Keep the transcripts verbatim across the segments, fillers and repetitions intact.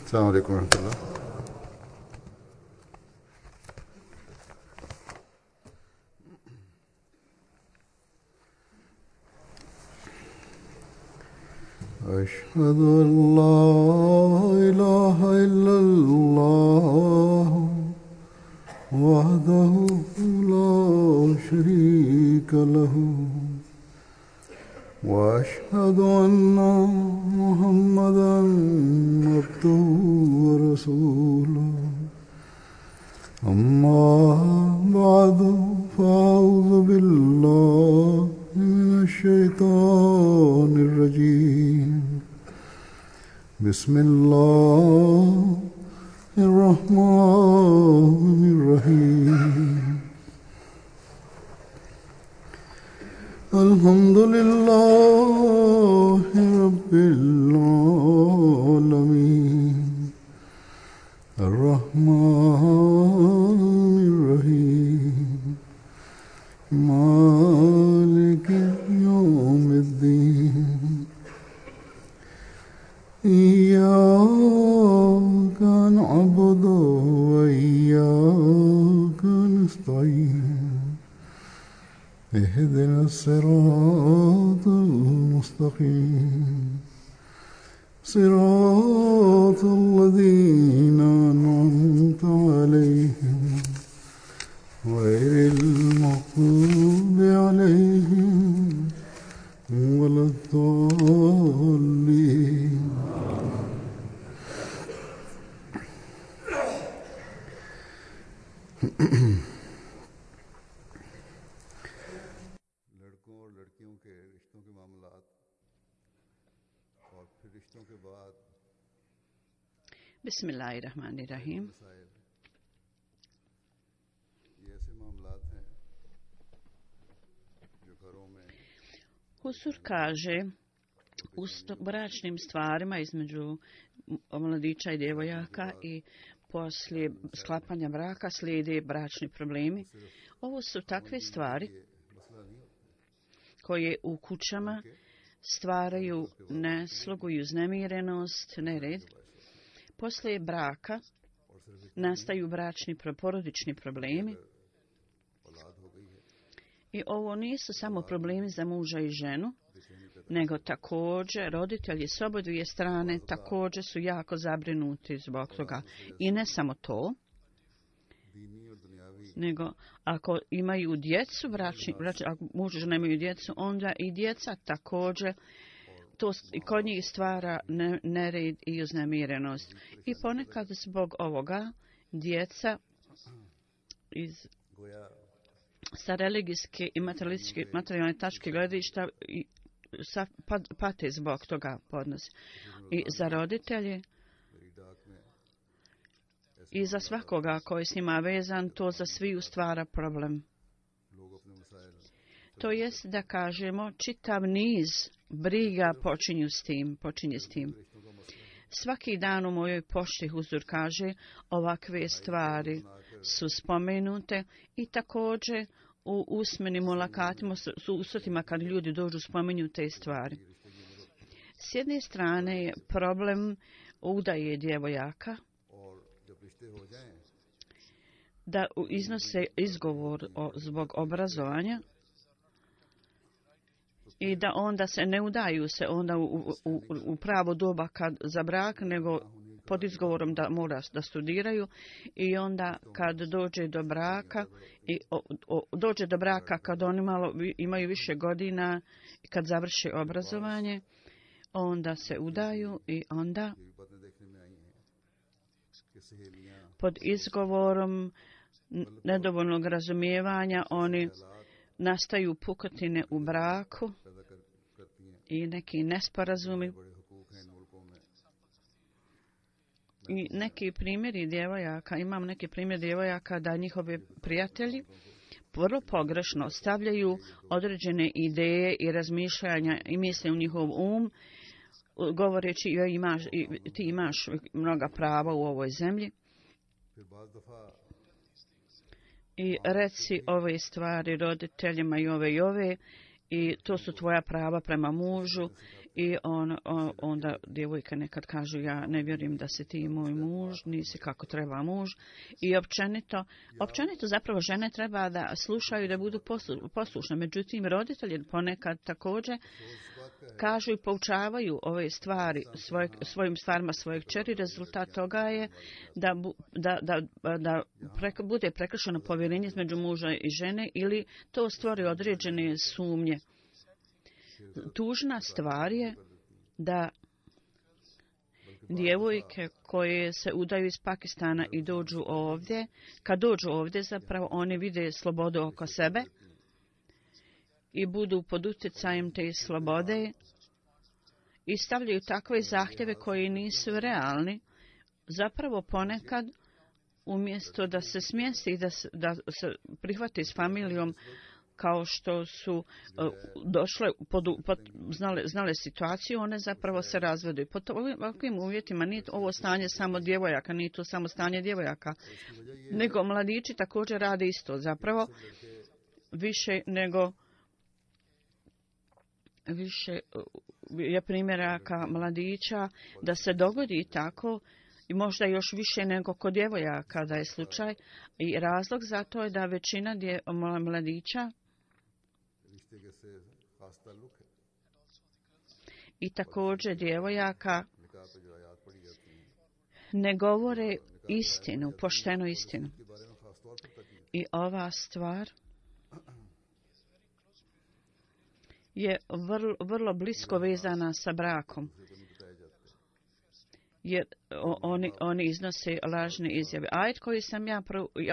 السلام عليكم ورحمة الله. أشهد أن لا إله إلا الله وحده لا شريك له وأشهد أن محمدا عبده ورسوله أما بعد فأعوذ بالله من الشيطان الرجيم بسم الله الرحمن الرحيم الحمد لله رب العالمين الرحمن الرحيم مالك يوم الدين إياك نعبد وإياك نستعين اهدنا الصراط المستقيم صراط الذين أنعمت عليهم غير المغضوب عليهم ولا الضالين. Bismillahirrahmanirrahim. Husur kaže u bračnim stvarima između mladića i djevojaka i poslije sklapanja braka slijede bračni problemi. Ovo su takve stvari koje u kućama stvaraju neslogu i uznemirenost, nered. Poslije braka nastaju bračni porodični problemi. I ovo nisu samo problemi za muža i ženu, nego također roditelji s obodvije strane također su jako zabrinuti zbog toga. I ne samo to, nego ako imaju djecu, bračni, bračni, ako muž i žena imaju djecu, onda i djeca također to kod njih stvara nered i uznemirenost. I ponekad zbog ovoga djeca iz sa religijske i materialističke materijalne tačke gledišta i sa, pate zbog toga podnosi. I za roditelje i za svakoga koji s njima vezan, to za sviju stvara problem. To jest da kažemo čitav niz briga počinju s tim, počinje s tim. Svaki dan u mojoj pošti Huzur kaže ovakve stvari su spomenute i također u usmenim mulakatima, su usretima kad ljudi dođu spominju te stvari. S jedne strane je problem udaje djevojaka, da iznose izgovor o, zbog obrazovanja i da onda se ne udaju se onda u, u, u pravo doba kad za brak, nego pod izgovorom da mora da studiraju i onda kad dođe do braka i o, o, dođe do braka kad oni malo imaju više godina i kad završe obrazovanje, onda se udaju i onda pod izgovorom nedovoljnog razumijevanja oni nastaju pukotine u braku i neki nesporazumi. I neki primjeri djevojaka, imam neki primjer djevojaka da njihovi prijatelji vrlo pogrešno stavljaju određene ideje i razmišljanja i misle u njihov um, govoreći imaš, ti imaš mnoga prava u ovoj zemlji. I reci ove stvari roditeljima i ove i ove i to su tvoja prava prema mužu I on, on, onda djevojka nekad kažu ja ne vjerujem da si ti moj muž, nisi kako treba muž. I općenito, općenito zapravo žene treba da slušaju, da budu poslu, poslušne. Međutim, roditelji ponekad također kažu i poučavaju ove stvari svoj, svojim stvarima svojeg kćeri. Rezultat toga je da, da, da, da prek, bude prekršeno povjerenje između muža i žene ili to stvori određene sumnje. Tužna stvar je da djevojke koje se udaju iz Pakistana i dođu ovdje, kad dođu ovdje zapravo oni vide slobodu oko sebe i budu pod utjecajem te slobode i stavljaju takve zahtjeve koji nisu realni. Zapravo ponekad umjesto da se smjesti i da se, da se prihvati s familijom kao što su uh, došle, pod, pod, znale, znale situaciju, one zapravo se razvedu. Pod ovakvim uvjetima nije ovo stanje samo djevojaka, nije to samo stanje djevojaka, nego mladići također rade isto. Zapravo više nego više je primjeraka mladića da se dogodi tako i možda još više nego kod djevojaka da je slučaj. I razlog za to je da većina dje, mladića i također djevojaka ne govore istinu, poštenu istinu. I ova stvar je vrlo, vrlo blisko vezana sa brakom. Jer oni, oni iznose lažne izjave. Ajet koji sam ja,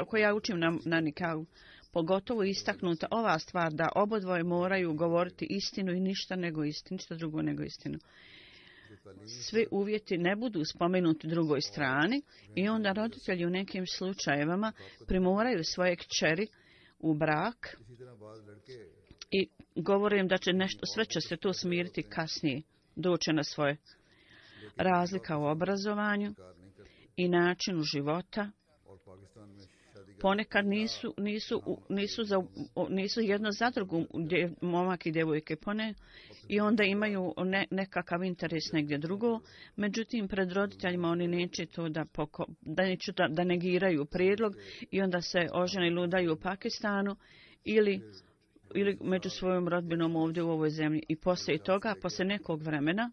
koji ja učim na, na nikahu, pogotovo istaknuta ova stvar da obodvoje moraju govoriti istinu i ništa nego istinu, ništa drugo nego istinu. Svi uvjeti ne budu spomenuti drugoj strani i onda roditelji u nekim slučajevima primoraju svoje kćeri u brak i govore im da će nešto, sve će se to smiriti kasnije, doće na svoje. Razlika u obrazovanju i načinu života ponekad nisu, nisu, nisu, za, nisu jedno za drugu momak i djevojke pone i onda imaju ne, nekakav interes negdje drugo. Međutim, pred roditeljima oni neće to da, poko, da, neće da, da negiraju prijedlog i onda se ožene i ludaju u Pakistanu ili, ili među svojom rodbinom ovdje u ovoj zemlji. I poslije toga, poslije nekog vremena,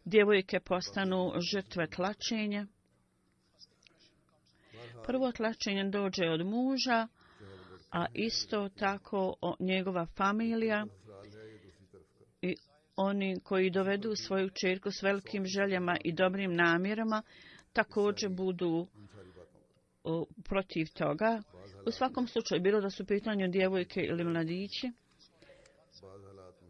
djevojke postanu žrtve tlačenja. Prvo tlačenje dođe od muža, a isto tako njegova familija i oni koji dovedu svoju kćerku s velikim željama i dobrim namjerama također budu o, protiv toga. U svakom slučaju, bilo da su pitanju djevojke ili mladići,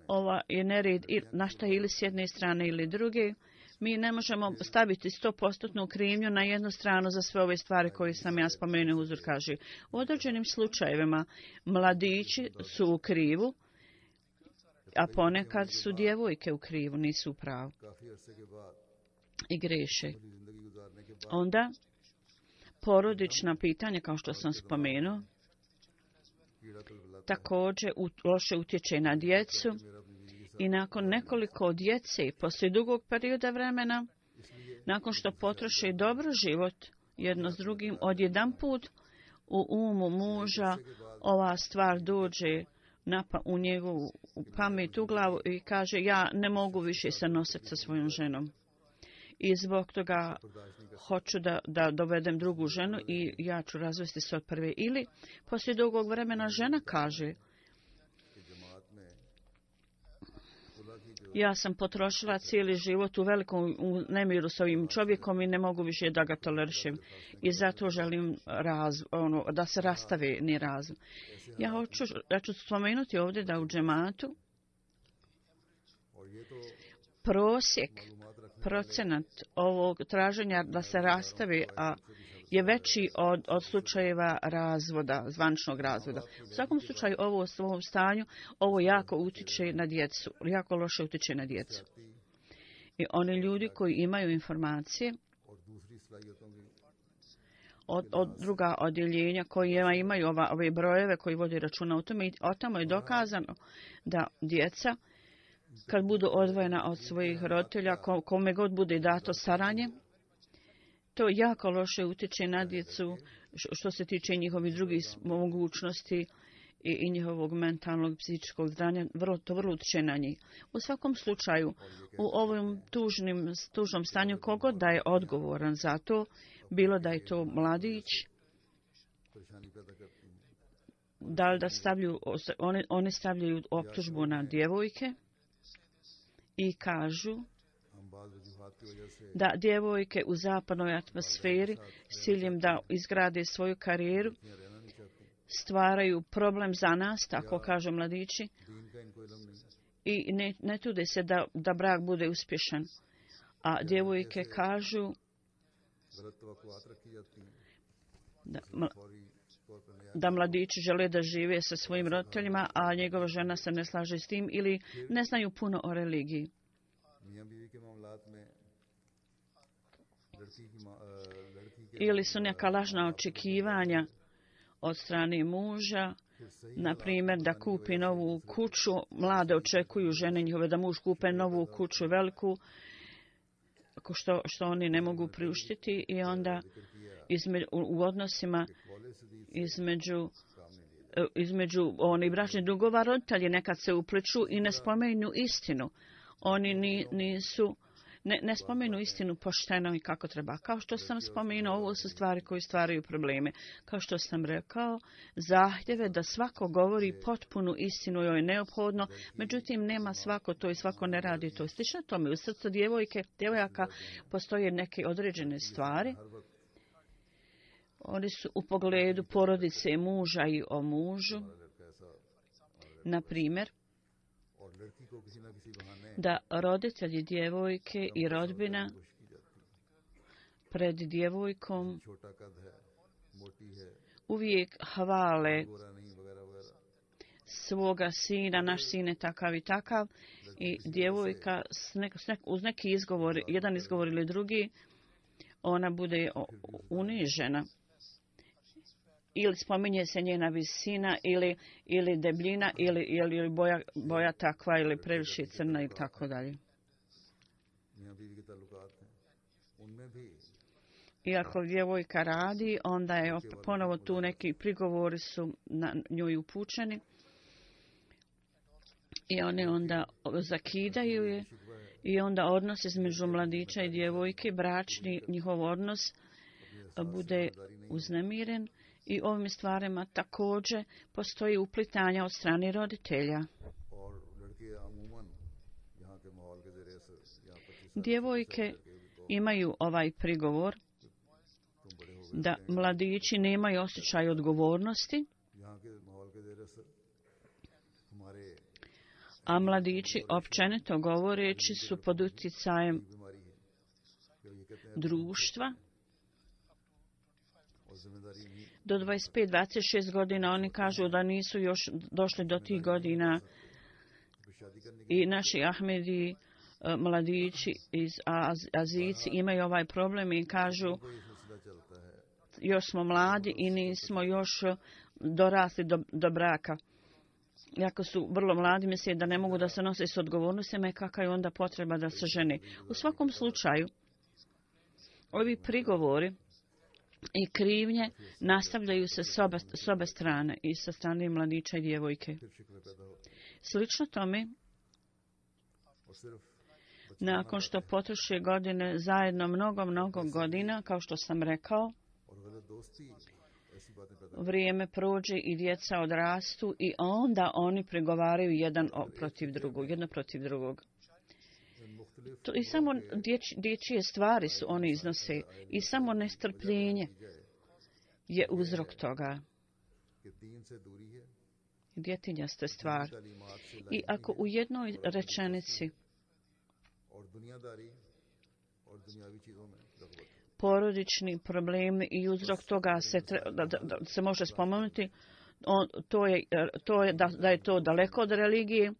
ova je nered na šta ili s jedne strane ili druge. Mi ne možemo staviti sto posto krivnju na jednu stranu za sve ove stvari koje sam ja spomenuo. Uzor kaže, u određenim slučajevima mladići su u krivu, a ponekad su djevojke u krivu, nisu u pravu i greše. Onda porodična pitanja, kao što sam spomenuo, također loše utječe na djecu i nakon nekoliko djece, poslije dugog perioda vremena, nakon što potroše dobro život jedno s drugim, odjedan put u umu muža ova stvar dođe napa, u njegovu pamet, u glavu i kaže ja ne mogu više se nositi sa svojom ženom. I zbog toga hoću da, da dovedem drugu ženu i ja ću razvesti se od prve. Ili poslije dugog vremena žena kaže ja sam potrošila cijeli život u velikom u nemiru s ovim čovjekom i ne mogu više da ga tolerišem. I zato želim raz, ono, da se rastave ni razum. Ja hoću, ja ću spomenuti ovdje da u džematu prosjek, procenat ovog traženja da se rastave a, je veći od, od slučajeva razvoda, zvančnog razvoda. U svakom slučaju ovo u ovom stanju, ovo jako utječe na djecu, jako loše utječe na djecu. I oni ljudi koji imaju informacije od, od druga odjeljenja koji imaju ova, ove brojeve koji vodi računa o tome, i o tamo je dokazano da djeca kad budu odvojena od svojih roditelja, kome god bude dato staranje, to jako loše utječe na djecu što se tiče njihovih drugih mogućnosti i, i njihovog mentalnog i psihičkog zdravlja, vrlo, to vrlo utječe na njih. U svakom slučaju, u ovom tužnim, tužnom stanju, kogod da je odgovoran za to, bilo da je to mladić, da li da stavljaju, one, one stavljaju optužbu na djevojke i kažu da djevojke u zapadnoj atmosferi s ciljem da izgrade svoju karijeru stvaraju problem za nas, tako kažu mladići, i ne, ne trude se da, da brak bude uspješan. A djevojke kažu da, da mladići žele da žive sa svojim roditeljima, a njegova žena se ne slaže s tim ili ne znaju puno o religiji. Ili su neka lažna očekivanja od strane muža, na primjer da kupi novu kuću, mlade očekuju žene njihove da muž kupe novu kuću veliku, što, što oni ne mogu priuštiti, i onda između, u odnosima između između oni bračnih drugova roditelji nekad se upliču i ne spomenu istinu. Oni ni, nisu Ne, ne spomenu istinu pošteno i kako treba. Kao što sam spomenuo, ovo su stvari koje stvaraju probleme. Kao što sam rekao, zahtjeve da svako govori potpunu istinu je neophodno, međutim nema svako to i svako ne radi to. Slično tome, u srcu djevojke, djevojaka postoje neke određene stvari. Oni su u pogledu porodice muža i o mužu. Na primjer, da roditelji djevojke i rodbina pred djevojkom uvijek hvale svoga sina, naš sin je takav i takav, i djevojka s nek, s nek, uz neki izgovor, jedan izgovor ili drugi, ona bude unižena. Ili spominje se njena visina, ili, ili debljina, ili, ili boja, boja takva, ili previše crna i tako dalje. Iako djevojka radi, onda je ponovo tu neki prigovori su na njoj upućeni. I one onda zakidaju je. I onda odnos između mladića i djevojke, bračni njihov odnos, bude uznemiren. I ovim stvarima također postoji uplitanja od strane roditelja. Djevojke imaju ovaj prigovor da mladići nemaju osjećaj odgovornosti, a mladići općenito govoreći su pod utjecajem društva. Do dvadeset pet do dvadeset šest godina oni kažu da nisu još došli do tih godina, i naši Ahmedi mladići iz Azici imaju ovaj problem i kažu još smo mladi i nismo još dorasli do, do braka. Iako su vrlo mladi, misle da ne mogu da se nose s odgovornostima i kakva je onda potreba da se žene. U svakom slučaju, ovi prigovori i krivnje nastavljaju se s obe, s obe strane, i sa strane mladića i djevojke. Slično tome, nakon što potroše godine zajedno mnogo, mnogo godina, kao što sam rekao, vrijeme prođe i djeca odrastu i onda oni pregovaraju jedan protiv drugog, jedno protiv drugog. To i samo dječ, dječje stvari su oni iznose i samo nestrpljenje je uzrok toga. Djetinjaste stvar. I ako u jednoj rečenici porodični problemi i uzrok toga se, da, da, da se može spomenuti, on, to je, to je da, da je to daleko od religije.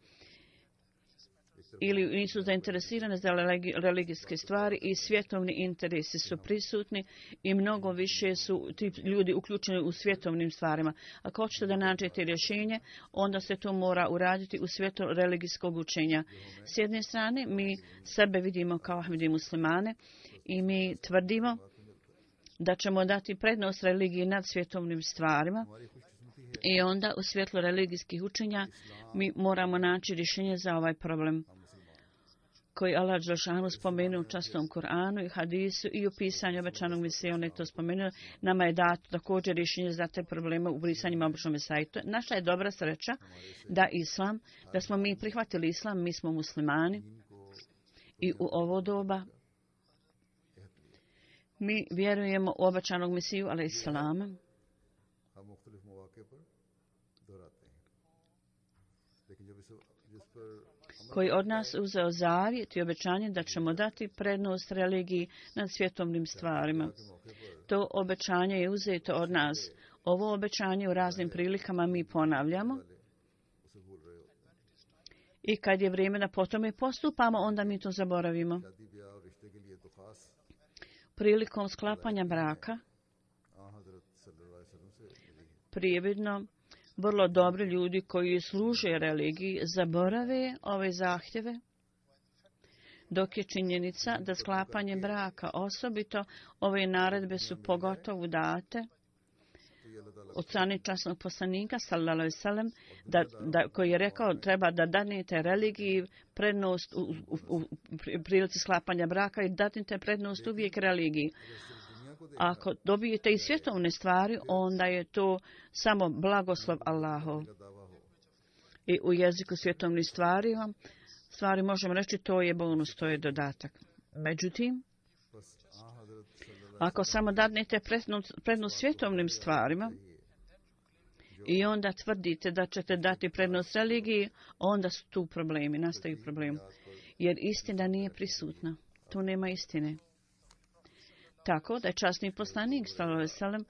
ili nisu zainteresirane za religijske stvari i svjetovni interesi su prisutni i mnogo više su ti ljudi uključeni u svjetovnim stvarima. Ako hoćete da nađete rješenje, onda se to mora uraditi u svijetu religijskog učenja. S jedne strane, mi sebe vidimo kao Ahmedi muslimane i mi tvrdimo da ćemo dati prednost religiji nad svjetovnim stvarima. I onda u svjetlu religijskih učenja mi moramo naći rješenje za ovaj problem koji Allah dželešanu spomenuo u častom Kur'anu i hadisu i u pisanju obećanog Mesije. On je to spomenuo. Nama je dato također rješenje za te probleme u brisanjima običnog Mesije. Naša je dobra sreća da islam, da smo mi prihvatili islam, mi smo muslimani i u ovo doba mi vjerujemo u obećanog Mesiju alejhiselama. Koji od nas uzeo zavjet i obećanje da ćemo dati prednost religiji nad svjetovnim stvarima. To obećanje je uzeto od nas. Ovo obećanje u raznim prilikama mi ponavljamo. I kad je vrijeme da po tome postupamo, onda mi to zaboravimo. Prilikom sklapanja braka, prijevidno, vrlo dobri ljudi koji služe religiji zaborave ove zahtjeve, dok je činjenica da sklapanje braka, osobito ove naredbe su pogotovo date od strane časnog poslanika sallallahu alejhi ve sellem, da, da, koji je rekao treba da dadnete religiji prednost u, u, u prilici sklapanja braka i dadnete prednost uvijek religiji. Ako dobijete i svjetovne stvari, onda je to samo blagoslov Allahov. I u jeziku svjetovnih stvari, stvari možemo reći to je bonus, to je dodatak. Međutim, ako samo dadnete prednost, prednost svjetovnim stvarima i onda tvrdite da ćete dati prednost religiji, onda su tu problemi, nastaju problemi. Jer istina nije prisutna. Tu nema istine. Tako da je časni poslanik sallallahu alejhi ve sellem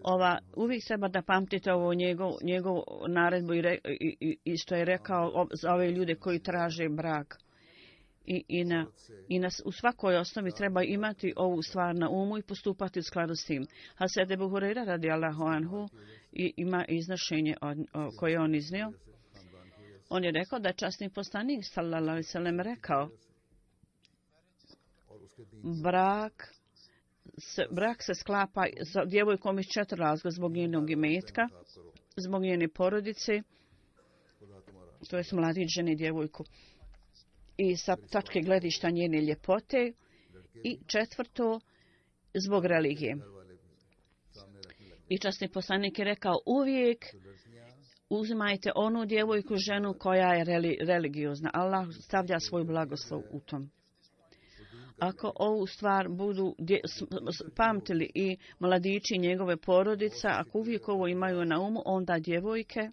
ova uvijek treba da pamtite ovo njegov, njegov naredbu i, re, i, i što je rekao za ove ljude koji traže brak. I, i, na, i na, u svakoj osnovi treba imati ovu stvar na umu i postupati u skladu s tim. Hazret Ebu Hurajra radijallahu anhu i, ima iznošenje od, o, koje on iznio. On je rekao da je časni poslanik sallallahu alejhi ve sellem rekao brak Se, brak se sklapa sa djevojkom iz četiri razloga, zbog njenog imetka, zbog njene porodice, to je mladić žene djevojku, i sa tačke gledišta njene ljepote, i četvrto, zbog religije. I časni poslanik je rekao uvijek uzimajte onu djevojku ženu koja je reli, religiozna. Allah stavlja svoj blagoslov u tom. Ako ovu stvar budu dje, pamtili i mladići njegove porodica, ako uvijek ovo imaju na umu, onda djevojke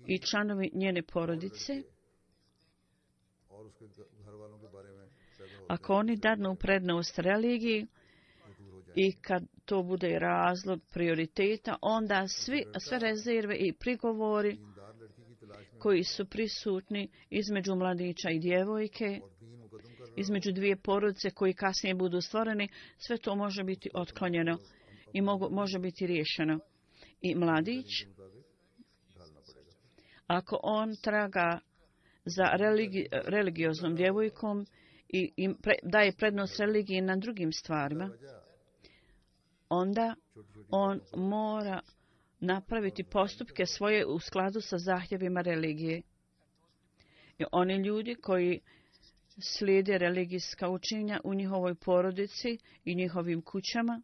i članovi njene porodice, ako oni dadnu prednost religiji i kad to bude razlog prioriteta, onda svi, sve rezerve i prigovori koji su prisutni između mladića i djevojke, između dvije porodice koji kasnije budu stvoreni, sve to može biti otklonjeno i mogu, može biti riješeno. I mladić, ako on traga za religi, religioznom djevojkom i, i pre, daje prednost religiji na drugim stvarima, onda on mora napraviti postupke svoje u skladu sa zahtjevima religije. I oni ljudi koji slijede religijska učenja u njihovoj porodici i njihovim kućama,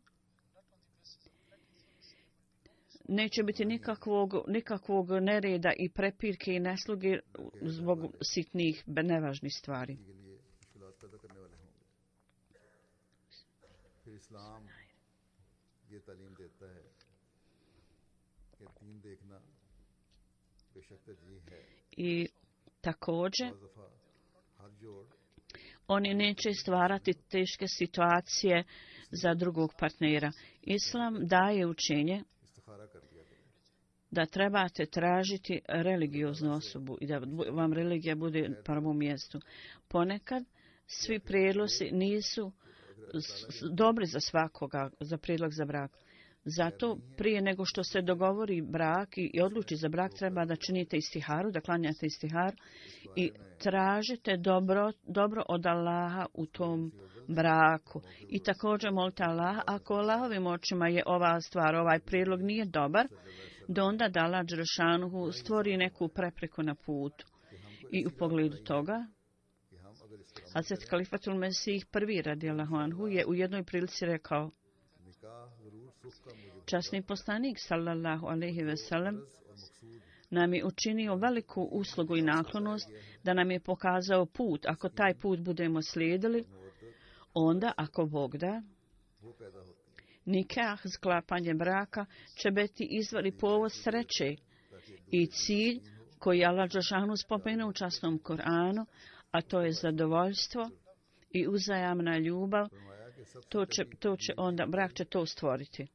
neće biti nikakvog, nikakvog nereda i prepirke i nesluge zbog sitnih, nevažnih stvari. I također, oni neće stvarati teške situacije za drugog partnera. Islam daje učenje da trebate tražiti religioznu osobu i da vam religija bude na prvom mjestu. Ponekad svi prijedlozi nisu dobri za svakoga, za prijedlog za brak. Zato prije nego što se dogovori brak i odluči za brak, treba da činite istiharu, da klanjate istiharu i tražite dobro, dobro od Allaha u tom braku. I također molite Allaha, ako Allahovim očima je ova stvar, ovaj prijedlog nije dobar, da onda da Allah dželešanu stvori neku prepreku na putu. I u pogledu toga, Hazret Kalifatul Mesih prvi radijallahu anhu je u jednoj prilici rekao: časni poslanik sallallahu alejhi ve sellem nam je učinio veliku uslugu i naklonost da nam je pokazao put. Ako taj put budemo slijedili, onda, ako Bog da, nikah, sklapanje braka, će biti izvor i povod sreće i cilj koji Allah dželešanu spomenuo u časnom Koranu, a to je zadovoljstvo i uzajamna ljubav. To će, to će onda, brak će to stvoriti.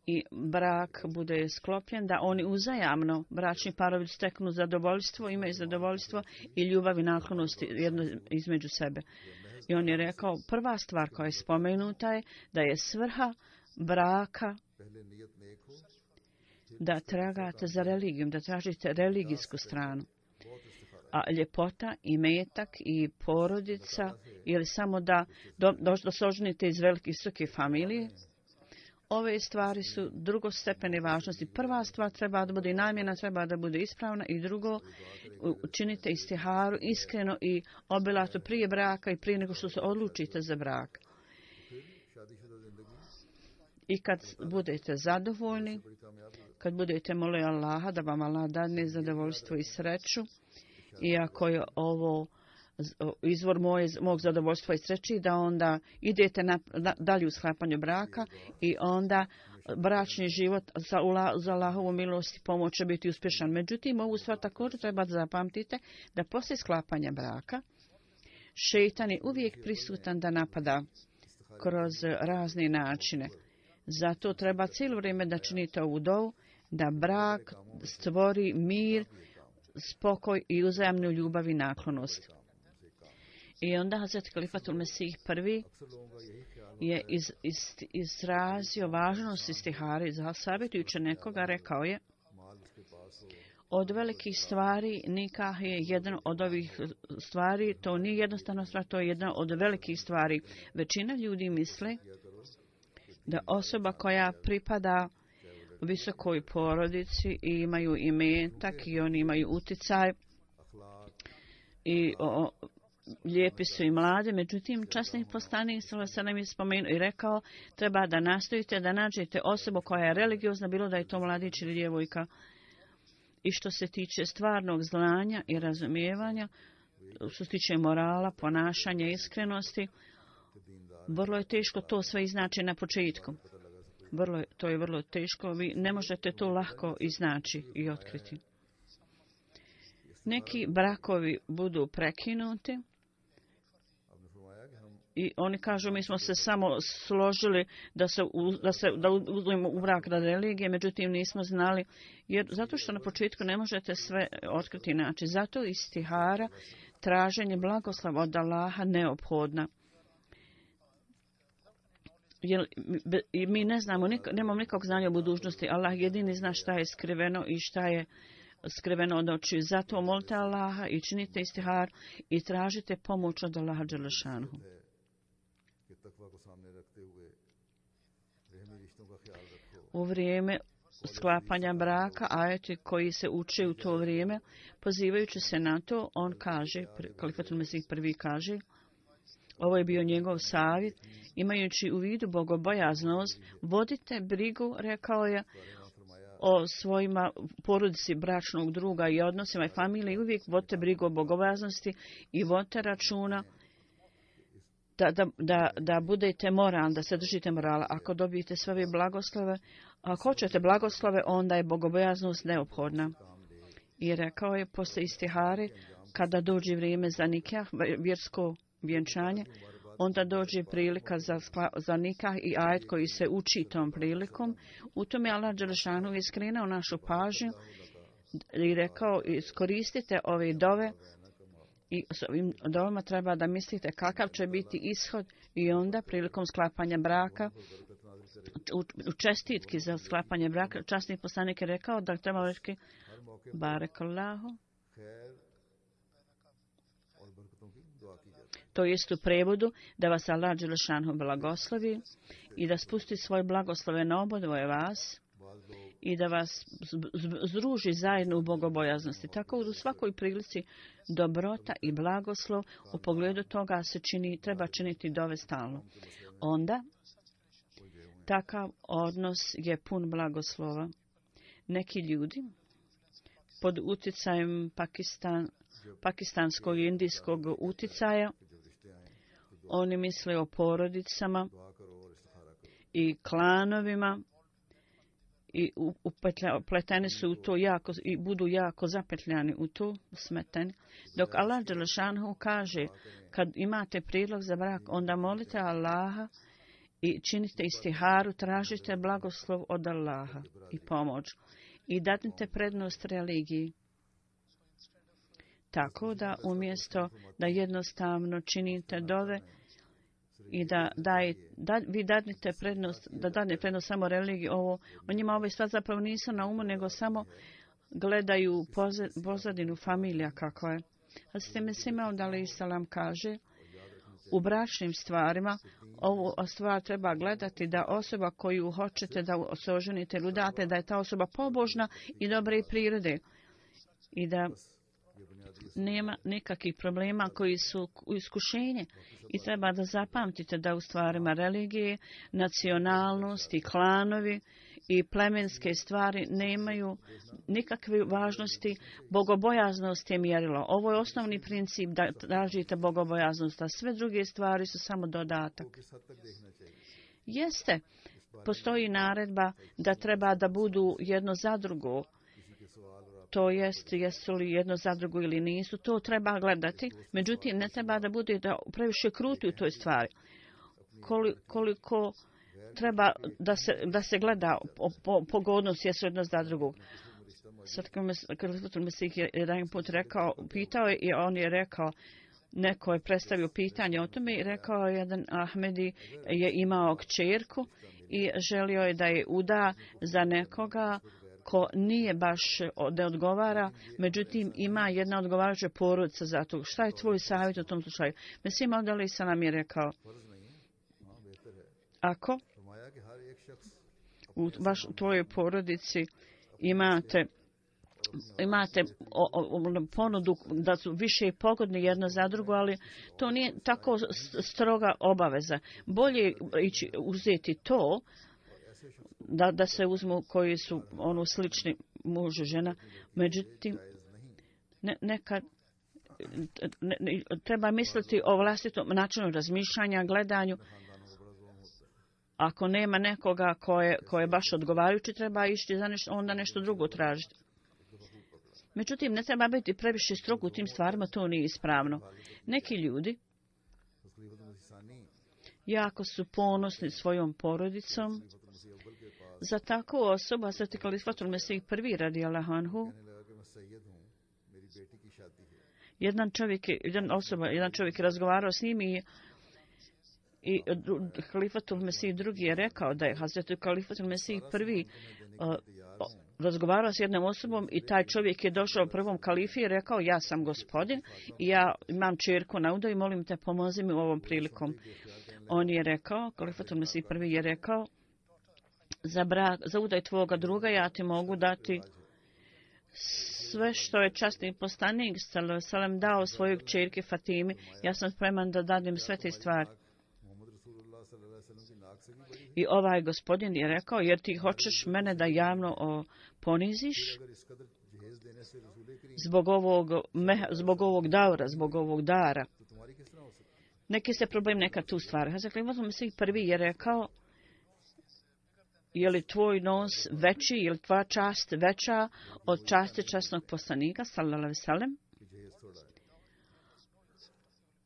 I brak bude sklopljen da oni uzajamno, bračni parovi steknu zadovoljstvo, imaju zadovoljstvo i ljubav i naklonost jedno između sebe. I on je rekao, prva stvar koja je spomenuta je da je svrha braka da tragate za religijom, da tražite religijsku stranu. A ljepota i metak i porodica ili samo da dosožnite iz velike visoke familije, ove stvari su drugostepene važnosti. Prva stvar treba da bude namjena, treba da bude ispravna i drugo, učinite istiharu iskreno i obilato prije braka i prije nego što se odlučite za brak. I kad budete zadovoljni, kad budete molili Allaha da vam Allah dadne zadovoljstvo i sreću, iako je ovo izvor moje, mog zadovoljstva i sreći, da onda idete na, na, dalje u sklapanju braka i onda bračni život za, za Allahovu milost i pomoć će biti uspješan. Međutim, ovu stvar također treba da zapamtite da poslije sklapanja braka šejtan je uvijek prisutan da napada kroz razne načine. Zato treba cijelo vrijeme da činite ovu dovu, da brak stvori mir, spokoj i uzajamnu ljubav i naklonost. I onda Hazret Kalifatul Mesih prvi je iz, iz, izrazio važnost istihare, savjetujući nekoga, rekao je: od velikih stvari nikah je jedan od ovih stvari, to nije jednostavna stvar, to je jedna od velikih stvari. Većina ljudi misle da osoba koja pripada visokoj porodici i imaju imetak i oni imaju uticaj i o, lijepi su i mlade, međutim časni poslanik sallallahu alejhi ve sellem je spomenuo i rekao, treba da nastojite da nađete osobu koja je religiozna, bilo da je to mladić ili djevojka. I što se tiče stvarnog znanja i razumijevanja, što se tiče morala, ponašanja, iskrenosti, vrlo je teško to sve iznaći na početku. Vrlo, to je vrlo teško, vi ne možete to lako iznaći i otkriti. Neki brakovi budu prekinuti i oni kažu, mi smo se samo složili da se, da se da uzmemo u brak radi religije, međutim nismo znali, jer zato što na početku ne možete sve otkriti inače. Zato istihara, traženje blagoslova od Allaha neophodna. Jer mi ne znamo, nemamo nikog znanja o budućnosti. Allah jedini zna šta je skriveno i šta je skriveno od očiju. Zato molite Allaha i činite istihar i tražite pomoć od Allaha dželešanhu. U vrijeme sklapanja braka, ajeti koji se uče u to vrijeme, pozivajući se na to, on kaže, Kalifatul Mesih prvi kaže, ovo je bio njegov savjet, imajući u vidu bogobojaznost, vodite brigu, rekao je, o svojima porodici bračnog druga i odnosima i familije, uvijek vodite brigu o bogobojaznosti i vodite računa da, da, da, da budete moralni, da se držite morala. Ako dobijete sve ove blagoslove, ako hoćete blagoslove, onda je bogobojaznost neophodna. I rekao je posle istihare, kada dođe vrijeme za nikah, vjersko vjenčanje, onda dođe prilika za, skla, za nikah i ajet koji se uči tom prilikom. U tome Allah Đelešanu je skrenuo našu pažnju i rekao iskoristite ove dove i s ovim dovama treba da mislite kakav će biti ishod i onda prilikom sklapanja braka u, u čestitki za sklapanje braka časni poslanik je rekao da treba reći Barakallahu. To jest u prevodu da vas Allah Đelešanu blagoslovi i da spusti svoje blagoslove na obodvoje vas i da vas združi zajedno u bogobojaznosti. Tako u svakoj prilici dobrota i blagoslov u pogledu toga se čini, treba činiti dove stalno. Onda takav odnos je pun blagoslova. Neki ljudi pod utjecajem Pakistan, pakistanskog i indijskog utjecaja oni misle o porodicama i klanovima i upleteni su u to jako i budu jako zapetljani u to, smeteni. Dok Allah Đelešanu kaže kad imate prijedlog za brak, onda molite Allaha i činite istiharu, tražite blagoslov od Allaha i pomoć i dadnite prednost religiji. Tako da umjesto da jednostavno činite dove i da, daj, da vi dadnite prednost, da dadne prednost samo religiji, ovo, o njima ove stvari zapravo nisu na umu, nego samo gledaju pozadinu familija kako je. A s time Simeon alejhi selam kaže, u bračnim stvarima ovu stvar treba gledati da osoba koju hoćete da se oženite ili udate, da je ta osoba pobožna i dobre prirode i da nema nikakvih problema koji su iskušenje i treba da zapamtite da u stvarima religije, nacionalnost i klanovi i plemenske stvari nemaju nikakve važnosti. Bogobojaznost je mjerilo. Ovo je osnovni princip da tražite bogobojaznost, a sve druge stvari su samo dodatak. Jeste, postoji naredba da treba da budu jedno za drugo. To jest, jesu li jedno za drugo ili nisu, to treba gledati. Međutim, ne treba da bude da previše kruti u toj stvari. Koliko treba da se, da se gleda po, pogodnost jesu jedno za drugog. Sad kad Mesih je jedan put rekao, pitao je i on je rekao, neko je predstavio pitanje o tome i rekao jedan Ahmedi je imao kćerku i želio je da je uda za nekoga ko nije baš da odgovara, međutim ima jedna odgovarajuća porodica za to. Šta je tvoj savjet u tom slučaju? Mesih alejhi selam je rekao, ako u baš u tvojoj porodici imate imate o, o, ponudu da su više pogodni jedno za drugo, ali to nije tako stroga obaveza. Bolje ići uzeti to da, da se uzmu koji su ono slični muž i žena. Međutim, ne, nekad ne, ne, treba misliti o vlastitom načinu razmišljanja, gledanju. Ako nema nekoga ko je, ko je baš odgovarajući, treba ići za nešto, onda nešto drugo tražiti. Međutim, ne treba biti previše strog u tim stvarima, to nije ispravno. Neki ljudi jako su ponosni svojom porodicom. Za takvu osobu, Hazreti Kalifatul Mesih prvi radijallahu anhu, jedan čovjek, jedan osoba, jedan čovjek je razgovarao s njim i I Kalifatul Mesih drugi je rekao da je Hazreti Kalifatul Mesih prvi uh, razgovarao s jednom osobom i taj čovjek je došao prvom kalifi i rekao, ja sam gospodin i ja imam čerku na udo i molim te pomozi mi u ovom prilikom. On je rekao, Kalifatul Mesih prvi je rekao, za, brak, za udaj tvoga druga ja ti mogu dati sve što je časni poslanik sallam dao svojoj čerki Fatimi, ja sam spreman da dadim sve te stvari. I ovaj gospodin je rekao, jer ti hoćeš mene da javno o, poniziš zbog ovog, me, zbog ovog daura, zbog ovog dara. Neki se problem neka tu stvari. Hazreti Mesih prvi je rekao, je li tvoj nos veći, je li tvoja čast veća od časti časnog poslanika, sallallahu alejhi ve sellem?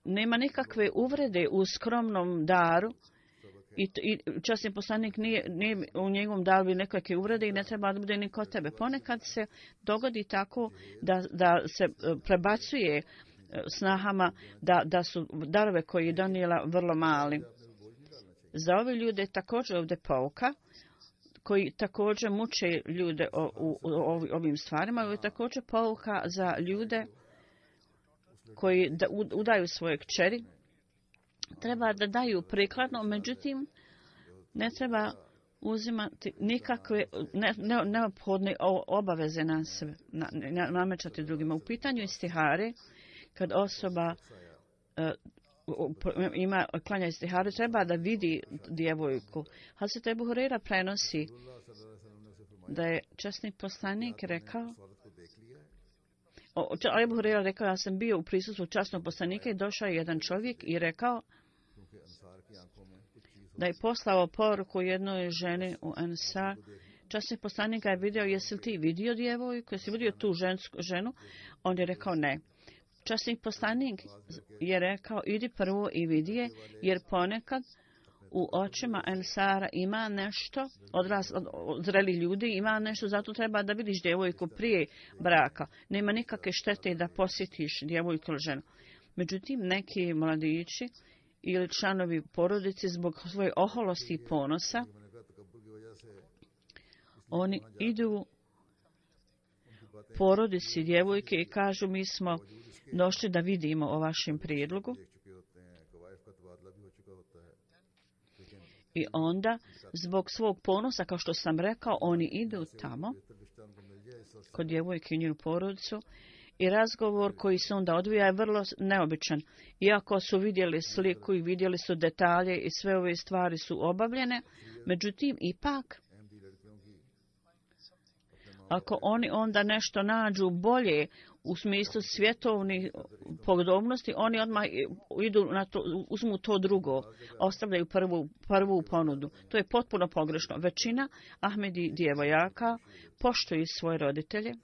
nema nikakve uvrede u skromnom daru i, i časni poslanik nije, nije u njegovom daru nekakve uvrede i ne treba da bude ni kod tebe. Ponekad se dogodi tako da, da se prebacuje snahama da, da su darove koje je donijela vrlo mali. Za ove ljude također ovdje pouka koji također muče ljude o, u, u, u ovim stvarima. Ovo je također pouka za ljude koji da, udaju svoje kćeri. Treba da daju prikladno, međutim ne treba uzimati nikakve ne, ne, neophodne obaveze na sebe, na, na, namećati drugima. U pitanju istihare, kad osoba uh, ima klanja istiharu, treba da vidi djevojku. Hazret Ebu Hurajra prenosi da je časni poslanik rekao, o, Ebu Hurajra rekao, ja sam bio u prisustvu časnog poslanika i došao je jedan čovjek i rekao da je poslao poruku jednoj ženi u Ansar. Časni poslanik je vidio, jesi li ti vidio djevojku, jesi vidio tu žensku ženu? On je rekao ne. Časni poslanik je rekao, idi prvo i vidi je, jer ponekad u očima Ansara ima nešto, odras, od, od zreli ljudi ima nešto, zato treba da vidiš djevojku prije braka. Nema nikakve štete da posjetiš djevojku ili ženu. Međutim, neki mladići ili članovi porodice zbog svoje oholosti i ponosa, oni idu porodici djevojke i kažu, mi smo došli da vidimo o vašem prijedlogu. I onda, zbog svog ponosa, kao što sam rekao, oni idu tamo, kod djevojke i njenu porodicu, i razgovor koji se onda odvija je vrlo neobičan. Iako su vidjeli sliku i vidjeli su detalje i sve ove stvari su obavljene, međutim, ipak, ako oni onda nešto nađu bolje u smislu svjetovnih podobnosti, oni odmah idu na to, uzmu to drugo, ostavljaju prvu, prvu ponudu. To je potpuno pogrešno. Većina Ahmedi djevojaka poštuju svoje roditelje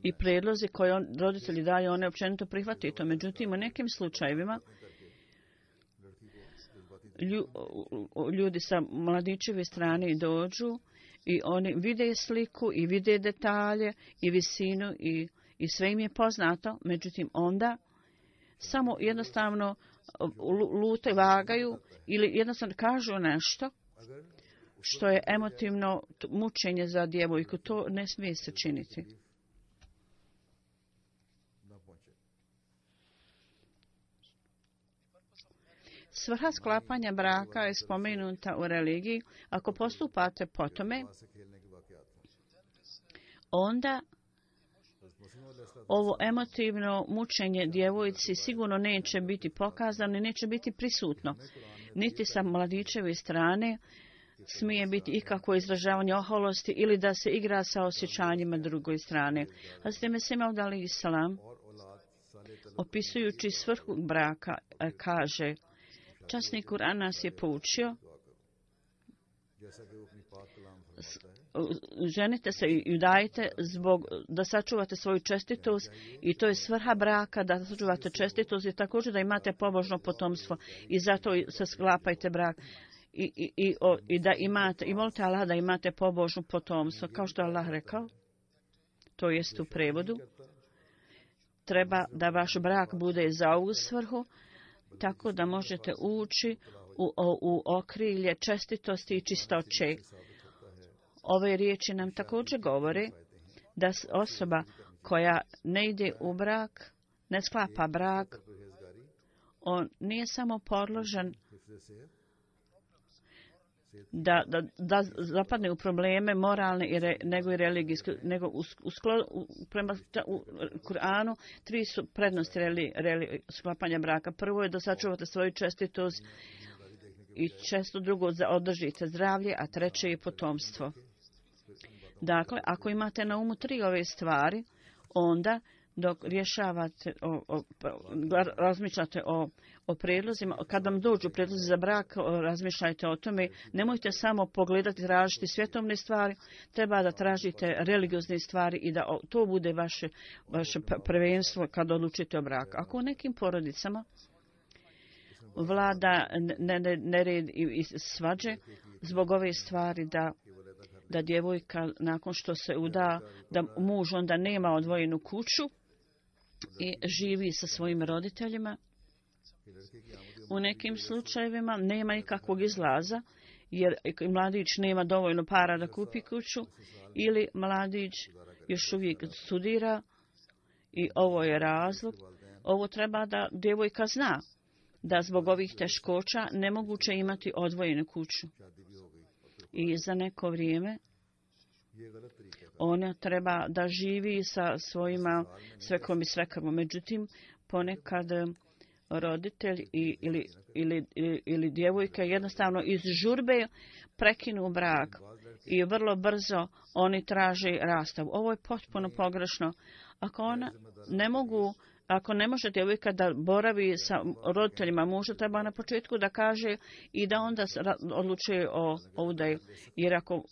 i prijedlozi koje on, roditelji daju, one općenito prihvataju to. Međutim, u nekim slučajevima ljudi sa mladićeve strane dođu i oni vide sliku i vide detalje i visinu i, i sve im je poznato. Međutim, onda samo jednostavno lute vagaju ili jednostavno kažu nešto što je emotivno mučenje za djevojku. To ne smije se činiti. Svrha sklapanja braka je spomenuta u religiji. Ako postupate po tome, onda ovo emotivno mučenje djevojci sigurno neće biti pokazano i neće biti prisutno. Niti sa mladićeve strane smije biti ikakvo izražavanje oholosti ili da se igra sa osjećanjima drugoj strane. Hazret Mesih Maud alejhi selam, opisujući svrhu braka, kaže, časni Kur'an nas je poučio, ženite se i udajte zbog da sačuvate svoju čestitost i to je svrha braka, da sačuvate čestitost i također da imate pobožno potomstvo i zato se sklapajte brak i, i, i, o, i da imate, i molite Allah da imate pobožno potomstvo, kao što je Allah rekao, to jest u prevodu, treba da vaš brak bude za ovu svrhu, tako da možete ući u, u, u okrilje čestitosti i čistoće. Ove riječi nam također govore da osoba koja ne ide u brak, ne sklapa brak, on nije samo podložan da, da, da zapadne u probleme moralne i re, nego i religijske, nego u, u, sklo, u, prema u Kur'anu tri su prednosti reli, reli, sklapanja braka. Prvo je da sačuvate svoju čestitost i često drugo da održite zdravlje, a treće je potomstvo. Dakle, ako imate na umu tri ove stvari, onda dok rješavate, o, o, razmišljate o, o prijedlozima, kad vam dođu prijedlozi za brak, razmišljajte o tome. Nemojte samo pogledati, tražiti svjetovne stvari, treba da tražite religiozne stvari i da to bude vaše, vaše prvenstvo kad odlučite o braku. Ako u nekim porodicama vlada nered i, i svađe zbog ove stvari da da djevojka nakon što se uda, da muž onda nema odvojenu kuću i živi sa svojim roditeljima. U nekim slučajevima nema nikakvog izlaza, jer mladić nema dovoljno para da kupi kuću, ili mladić još uvijek studira i ovo je razlog. Ovo treba da djevojka zna, da zbog ovih teškoća nemoguće imati odvojenu kuću. I za neko vrijeme ona treba da živi sa svojima svekom i svekrvom. Međutim, ponekad roditelj i, ili, ili, ili, ili djevojka jednostavno iz žurbe prekinu brak i vrlo brzo oni traže rastav. Ovo je potpuno pogrešno. Ako ona ne mogu Ako ne može djevojka da boravi sa roditeljima muža, treba na početku da kaže i da onda odlučuje o, o udaju. Jer ako,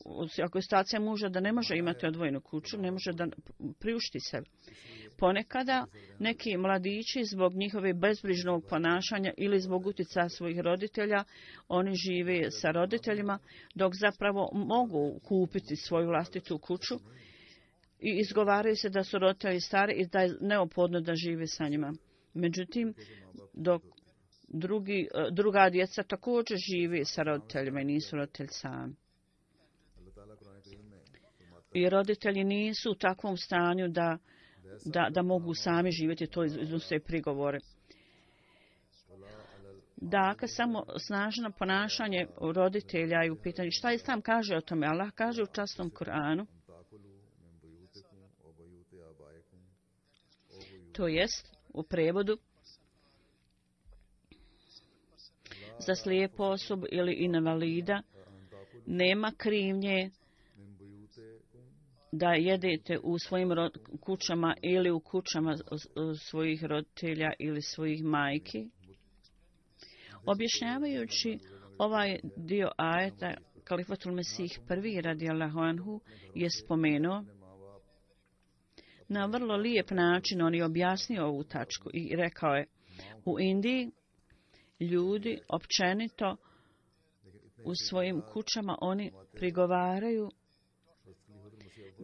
ako je situacija muža da ne može imati odvojenu kuću, ne može da priušti se. Ponekada neki mladići zbog njihove bezbrižnog ponašanja ili zbog utjecaja svojih roditelja, oni žive sa roditeljima dok zapravo mogu kupiti svoju vlastitu kuću. I izgovaraju se da su roditelji stari i da je neophodno da žive sa njima. Međutim, dok drugi, druga djeca također žive sa roditeljima i nisu roditelji sami. I roditelji nisu u takvom stanju da, da, da mogu sami živjeti, to iznose prigovore. Dakle, samo snažno ponašanje roditelja i u pitanju. Šta Islam kaže o tome? Allah kaže u časnom Kur'anu, to jest u prevodu, za slijepu osobu ili invalida nema krivnje da jedete u svojim kućama ili u kućama svojih roditelja ili svojih majki. Objašnjavajući ovaj dio ajeta, Kalifatul Mesih prvi radijallahu anhu je spomenuo na vrlo lijep način, on je objasnio ovu tačku i rekao je, u Indiji ljudi općenito u svojim kućama oni prigovaraju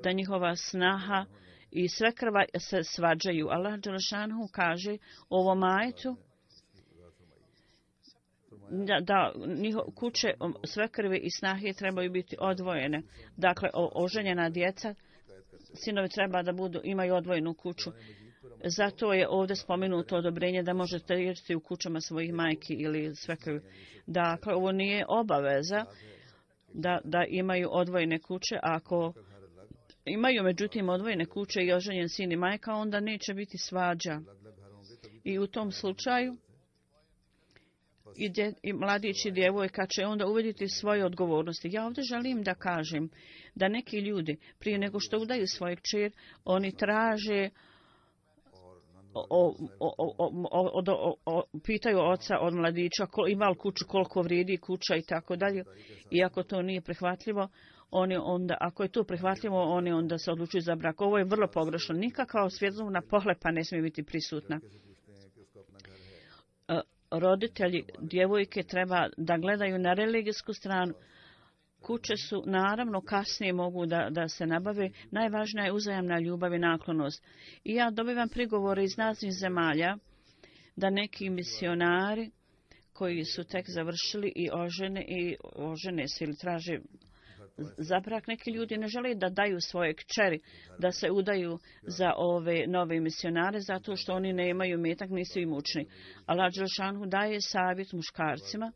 da njihova snaha i svekrva se svađaju. Allah dželešanu kaže u ovom ajetu da, da njiho, kuće svekrve i snahe trebaju biti odvojene. Dakle, o, oženjena djeca, sinovi treba da budu, imaju odvojenu kuću. Zato je ovdje spomenuto odobrenje da možete jesti u kućama svojih majki ili svekrvi. Dakle, ovo nije obaveza da, da imaju odvojene kuće. Ako imaju međutim odvojene kuće i oženjen sin i majka, onda neće biti svađa. I u tom slučaju i, dje, i mladić i djevojka će onda uvidjeti svoje odgovornosti. Ja ovdje želim da kažem da neki ljudi prije nego što udaju svoje kćer, oni traže O, o, o, o, o, o, pitaju oca od mladića kol, ima li kuću, koliko vrijedi kuća i tako dalje. I ako to nije prihvatljivo, oni onda, ako je to prihvatljivo, oni onda se odlučuju za brak. Ovo je vrlo pogrešno. Nikakva svjetovna pohlepa ne smije biti prisutna. Roditelji djevojke treba da gledaju na religijsku stranu. Kuće su, naravno, kasnije mogu da, da se nabave. Najvažnija je uzajamna ljubav i naklonost. I ja dobivam prigovore iz raznih zemalja da neki misionari koji su tek završili i ožene, i ožene se ili traže za brak, neki ljudi ne žele da daju svoje kćeri, da se udaju za ove nove misionare, zato što oni ne imaju metak, nisu imućni. Allah dželešanu daje savjet muškarcima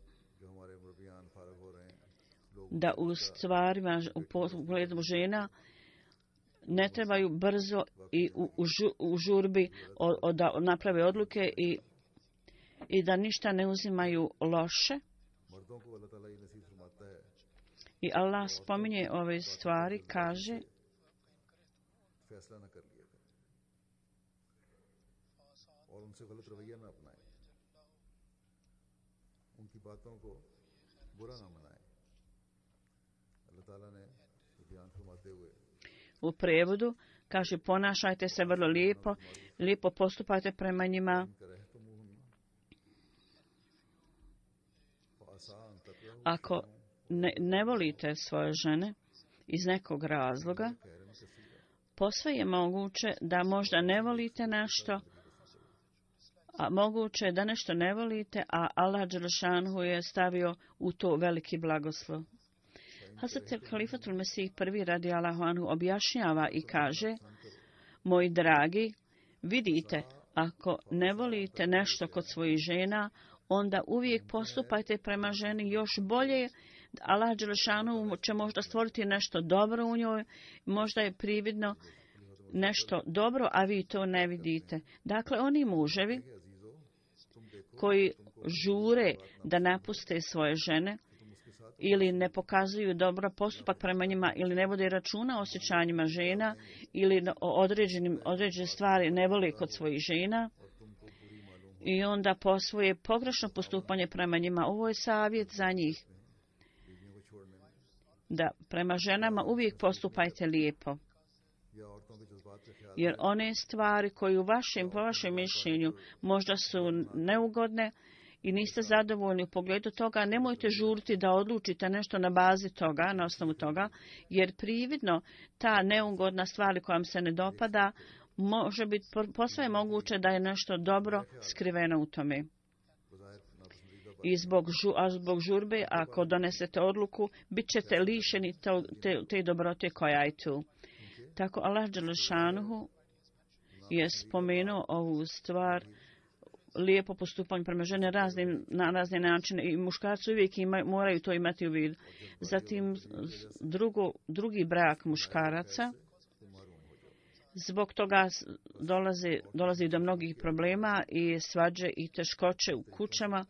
da u stvarima, u pogledu žena, ne trebaju brzo i u, u, žu, u žurbi o, o, da naprave odluke i, i da ništa ne uzimaju loše. I Allah spominje ove stvari, kaže और उनसे गलत रवैया न अपनाएं, उनकी बातों को बुरा न मनाएं। अल्लाह ताला ने बयान फरमाते हुए U prevodu kaže ponašajte se vrlo lijepo, lijepo postupajte prema njima. Ako ne, ne volite svoje žene iz nekog razloga, posve je moguće da možda ne volite nešto, a moguće je da nešto ne volite, a Allah dželešanu je stavio u to veliki blagoslov. Hazrat Halifatul Mesih prvi radijallahu anhu objašnjava i kaže: moji dragi, vidite, ako ne volite nešto kod svojih žena, onda uvijek postupajte prema ženi još bolje. Allah dželešanu će možda stvoriti nešto dobro u njoj, možda je prividno nešto dobro, a vi to ne vidite. Dakle, oni muževi koji žure da napuste svoje žene ili ne pokazuju dobro postupak prema njima ili ne vode računa o osjećanjima žena ili o određenim određene stvari ne vole kod svojih žena i onda po svoje pogrešno postupanje prema njima, ovo je savjet za njih, da prema ženama uvijek postupajte lijepo. Jer one stvari koje u vašem, po vašem mišljenju možda su neugodne i niste zadovoljni u pogledu toga, nemojte žuriti da odlučite nešto na bazi toga, na osnovu toga, jer prividno ta neugodna stvar koja vam se ne dopada, može biti posve moguće da je nešto dobro skriveno u tome. I zbog, žu, a zbog žurbe, ako donesete odluku, bit ćete lišeni to, te, te dobrote koja je tu. Tako Allah dželešanuhu je spomenuo ovu stvar, lijepo postupanje prema žene raznim, na razne načine i muškarci uvijek ima, moraju to imati u vidu. Zatim drugo, drugi brak muškaraca, zbog toga dolazi, dolazi do mnogih problema i svađe i teškoće u kućama.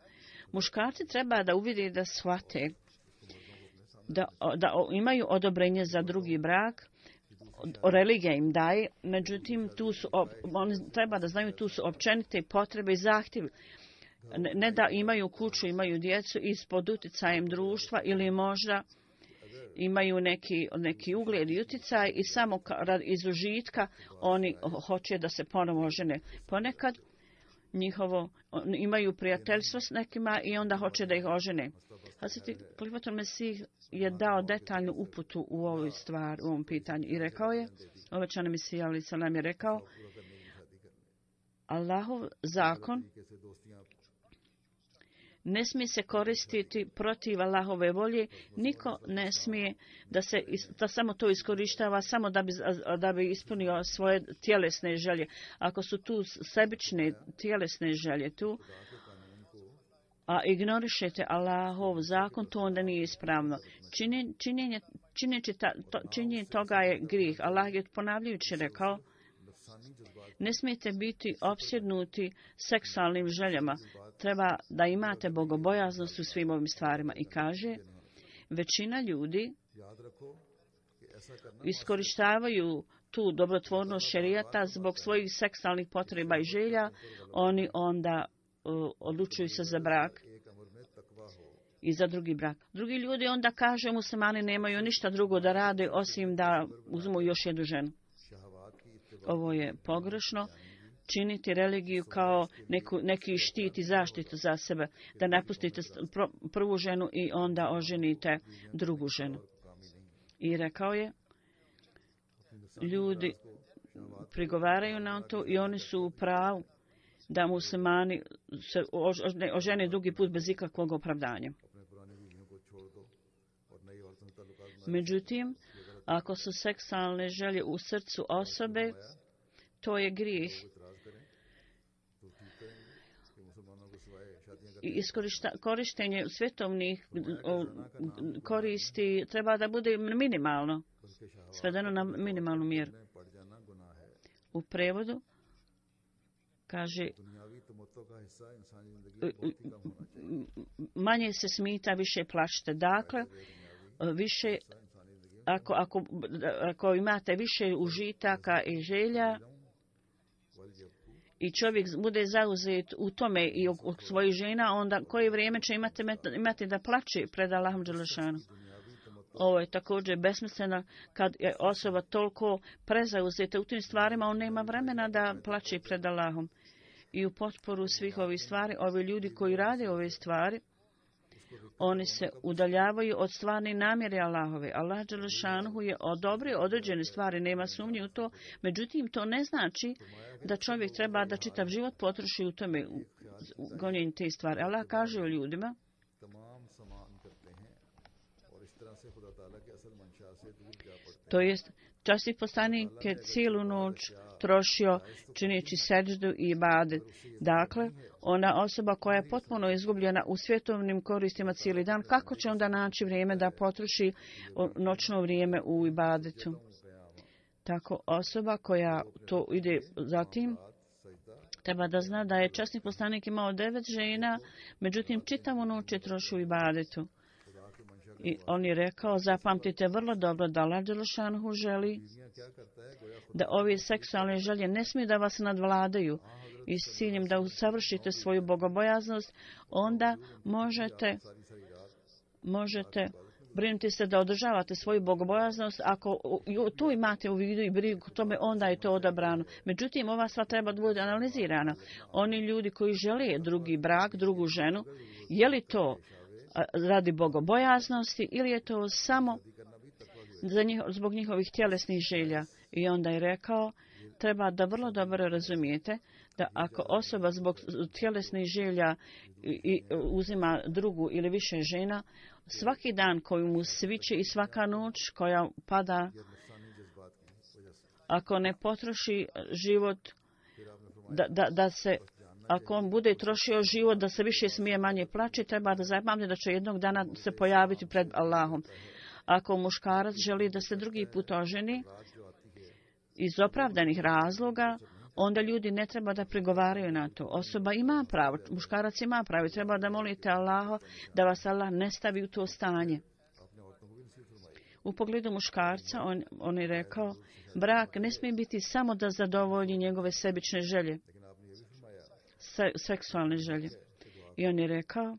Muškarci treba da uvide da shvate da, da imaju odobrenje za drugi brak, religija im daje, međutim tu su, oni treba da znaju tu su općenite potrebe i zahtjevi. Ne, ne da imaju kuću, imaju djecu ispod utjecajem društva ili možda imaju neki, neki ugled i utjecaj i samo iz užitka oni hoće da se ponovo žene. Ponekad njihovo, imaju prijateljstvo s nekima i onda hoće da ih ožene. Hazreti Halifatul Mesih je dao detaljnu uputu u ovoj stvari, u ovom pitanju i rekao je, obećani Mesija alejhi selam je rekao, Allahov zakon ne smije se koristiti protiv Allahove volje, niko ne smije da se da samo to iskorištava samo da bi, da bi ispunio svoje tjelesne želje. Ako su tu sebične tjelesne želje tu, a ignorišete Allahov zakon, to onda nije ispravno. Činjenje, činjenje, činjenje, to, činjenje toga je grijeh. Allah je ponavljajući rekao, ne smijete biti opsjednuti seksualnim željama. Treba da imate bogobojaznost u svim ovim stvarima. I kaže, većina ljudi iskorištavaju tu dobrotvornost šerijata zbog svojih seksualnih potreba i želja. Oni onda uh, odlučuju se za brak i za drugi brak. Drugi ljudi onda kaže, muslimani nemaju ništa drugo da rade osim da uzmu još jednu ženu. Ovo je pogrešno. Činiti religiju kao neku, neki štit i zaštitu za sebe. Da napustite prvu ženu i onda oženite drugu ženu. I rekao je, ljudi prigovaraju na to i oni su u pravu da muslimani se ožene drugi put bez ikakvog opravdanja. Međutim, ako su seksualne želje u srcu osobe, to je grijeh. I korištenje svjetovnih koristi treba da bude minimalno, svedeno na minimalnu mjeru. U prevodu kaže, manje se smita, više plačite. Dakle, više, ako, ako, ako imate više užitaka i želja i čovjek bude zauzet u tome i u svojih žena, onda koje vrijeme će imati, imati da plače pred Allahom dželešanu. Ovo je također besmisleno kad je osoba toliko prezauzeta u tim stvarima, on nema vremena da plače pred Allahom. I u potporu svih ovih stvari, ovi ljudi koji rade ove stvari, oni se udaljavaju od stvarne namjere Allahove. Allah dželešanu je odobrio određene stvari, nema sumnje u to, međutim to ne znači da čovjek treba da čitav život potroši u tome, u gonjenju te stvari. Allah kaže o ljudima, to jest časni poslanik je cijelu noć trošio čineći seđdu i ibadet. Dakle, ona osoba koja je potpuno izgubljena u svjetovnim koristima cijeli dan, kako će onda naći vrijeme da potroši noćno vrijeme u ibadetu? Tako osoba koja to ide zatim, treba da zna da je časni poslanik imao devet žena, međutim čitavu noć je trošio u ibadetu. I on je rekao, zapamtite vrlo dobro da Allah dželešanu želi da ove seksualne želje ne smiju da vas nadvladaju i s ciljem da usavršite svoju bogobojaznost, onda možete, možete brinuti se da održavate svoju bogobojaznost. Ako tu imate u vidu i brigu tome, onda je to odabrano. Međutim, ova stvar treba da bude analizirana. Oni ljudi koji žele drugi brak, drugu ženu, je li to radi bogobojaznosti ili je to samo za njih, zbog njihovih tjelesnih želja? I onda je rekao, treba da vrlo dobro razumijete da ako osoba zbog tjelesnih želja i uzima drugu ili više žena, svaki dan koji mu sviće i svaka noć koja pada, ako ne potroši život da, da, da se ako on bude trošio život da se više smije manje plaće, treba da zapamti da će jednog dana se pojaviti pred Allahom. Ako muškarac želi da se drugi put oženi iz opravdanih razloga, onda ljudi ne treba da prigovaraju na to. Osoba ima pravo, muškarac ima pravo, treba da molite Allaha da vas Allah ne stavi u to stanje. U pogledu muškarca on, on je rekao, brak ne smije biti samo da zadovolji njegove sebične želje, se, seksualne želje. I on je rekao,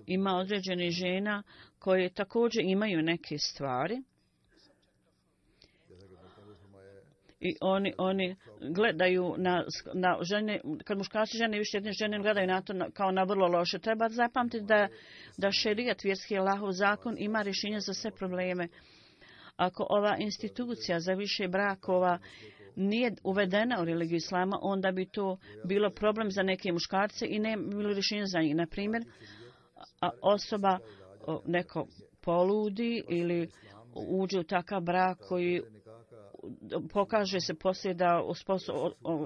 ima određene žena koje također imaju neke stvari i oni, oni gledaju na, na žene, kad muškarci žene više jedne žene gledaju na to na, kao na vrlo loše. Treba zapamtiti da, da šerijat, vjerski Allahov zakon, ima rješenje za sve probleme. Ako ova institucija za više brakova nije uvedena u religiju islama, onda bi to bilo problem za neke muškarce i ne bilo rješenje za njih. Na primjer, osoba neko poludi ili uđe u takav brak koji pokaže se poslije da,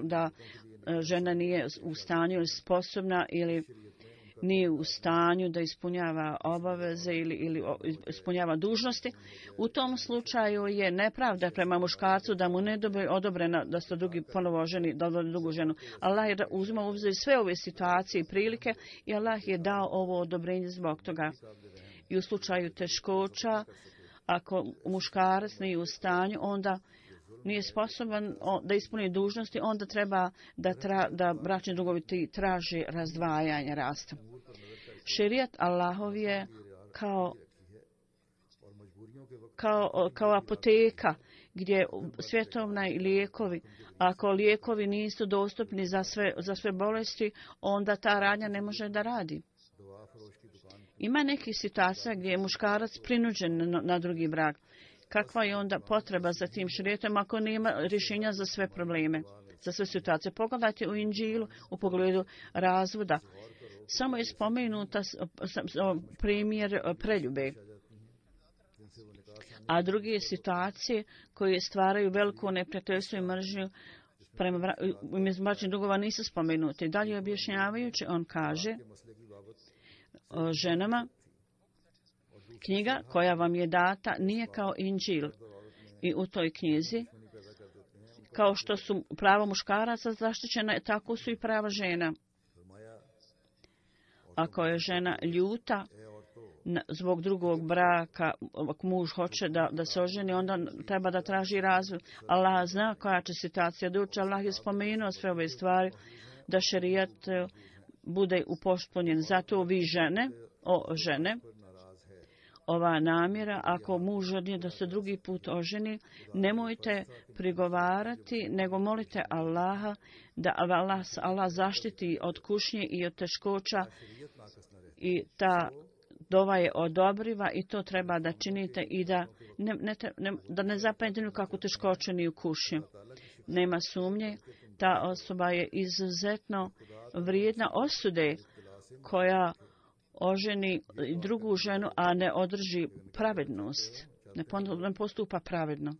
da žena nije u stanju ili sposobna ili nije u stanju da ispunjava obaveze ili, ili ispunjava dužnosti. U tom slučaju je nepravda prema muškarcu da mu ne dobe odobrena da se drugi ponovo ženi, da odobri drugu ženu. Allah je uzima u obzir sve ove situacije i prilike i Allah je dao ovo odobrenje zbog toga. I u slučaju teškoća, ako muškarac nije u stanju, onda nije sposoban da ispuni dužnosti, onda treba da, tra, da bračni drugovi traže razdvajanje rasta. Šerijat Allahov je kao, kao, kao apoteka gdje svjetovna i lijekovi, ako lijekovi nisu dostupni za sve, za sve bolesti, onda ta radnja ne može da radi. Ima nekih situacija gdje je muškarac prinuđen na, na drugi brak. Kakva je onda potreba za tim šerijatom ako nema rješenja za sve probleme, za sve situacije? Pogledajte u Inđilu u pogledu razvoda. Samo je spomenuta primjer preljube. A druge situacije koje stvaraju veliko neprijateljstvo i mržnju prema bračnih drugova nisu spomenute. Dalje objašnjavajući, on kaže o ženama, knjiga koja vam je data nije kao Inđil. I u toj knjizi, kao što su prava muškaraca zaštićena, tako su i prava žena. Ako je žena ljuta, zbog drugog braka, ako muž hoće da, da se oženi, onda treba da traži razvod. Allah zna koja će situacija doći. Allah je spomenuo sve ove stvari da šerijat bude upotpunjen. Zato vi žene, o žene, ova namjera, ako muž želi da se drugi put oženi, nemojte prigovarati, nego molite Allaha da Allah, Allah zaštiti od kušnje i od teškoća, i ta dova je odobriva i to treba da činite i da ne, ne, ne, da ne zapadnete nikakvu teškoću ni u kušnju. Nema sumnje, ta osoba je izuzetno vrijedna osude koja oženi drugu ženu, a ne održi pravednost, ne postupa pravedno.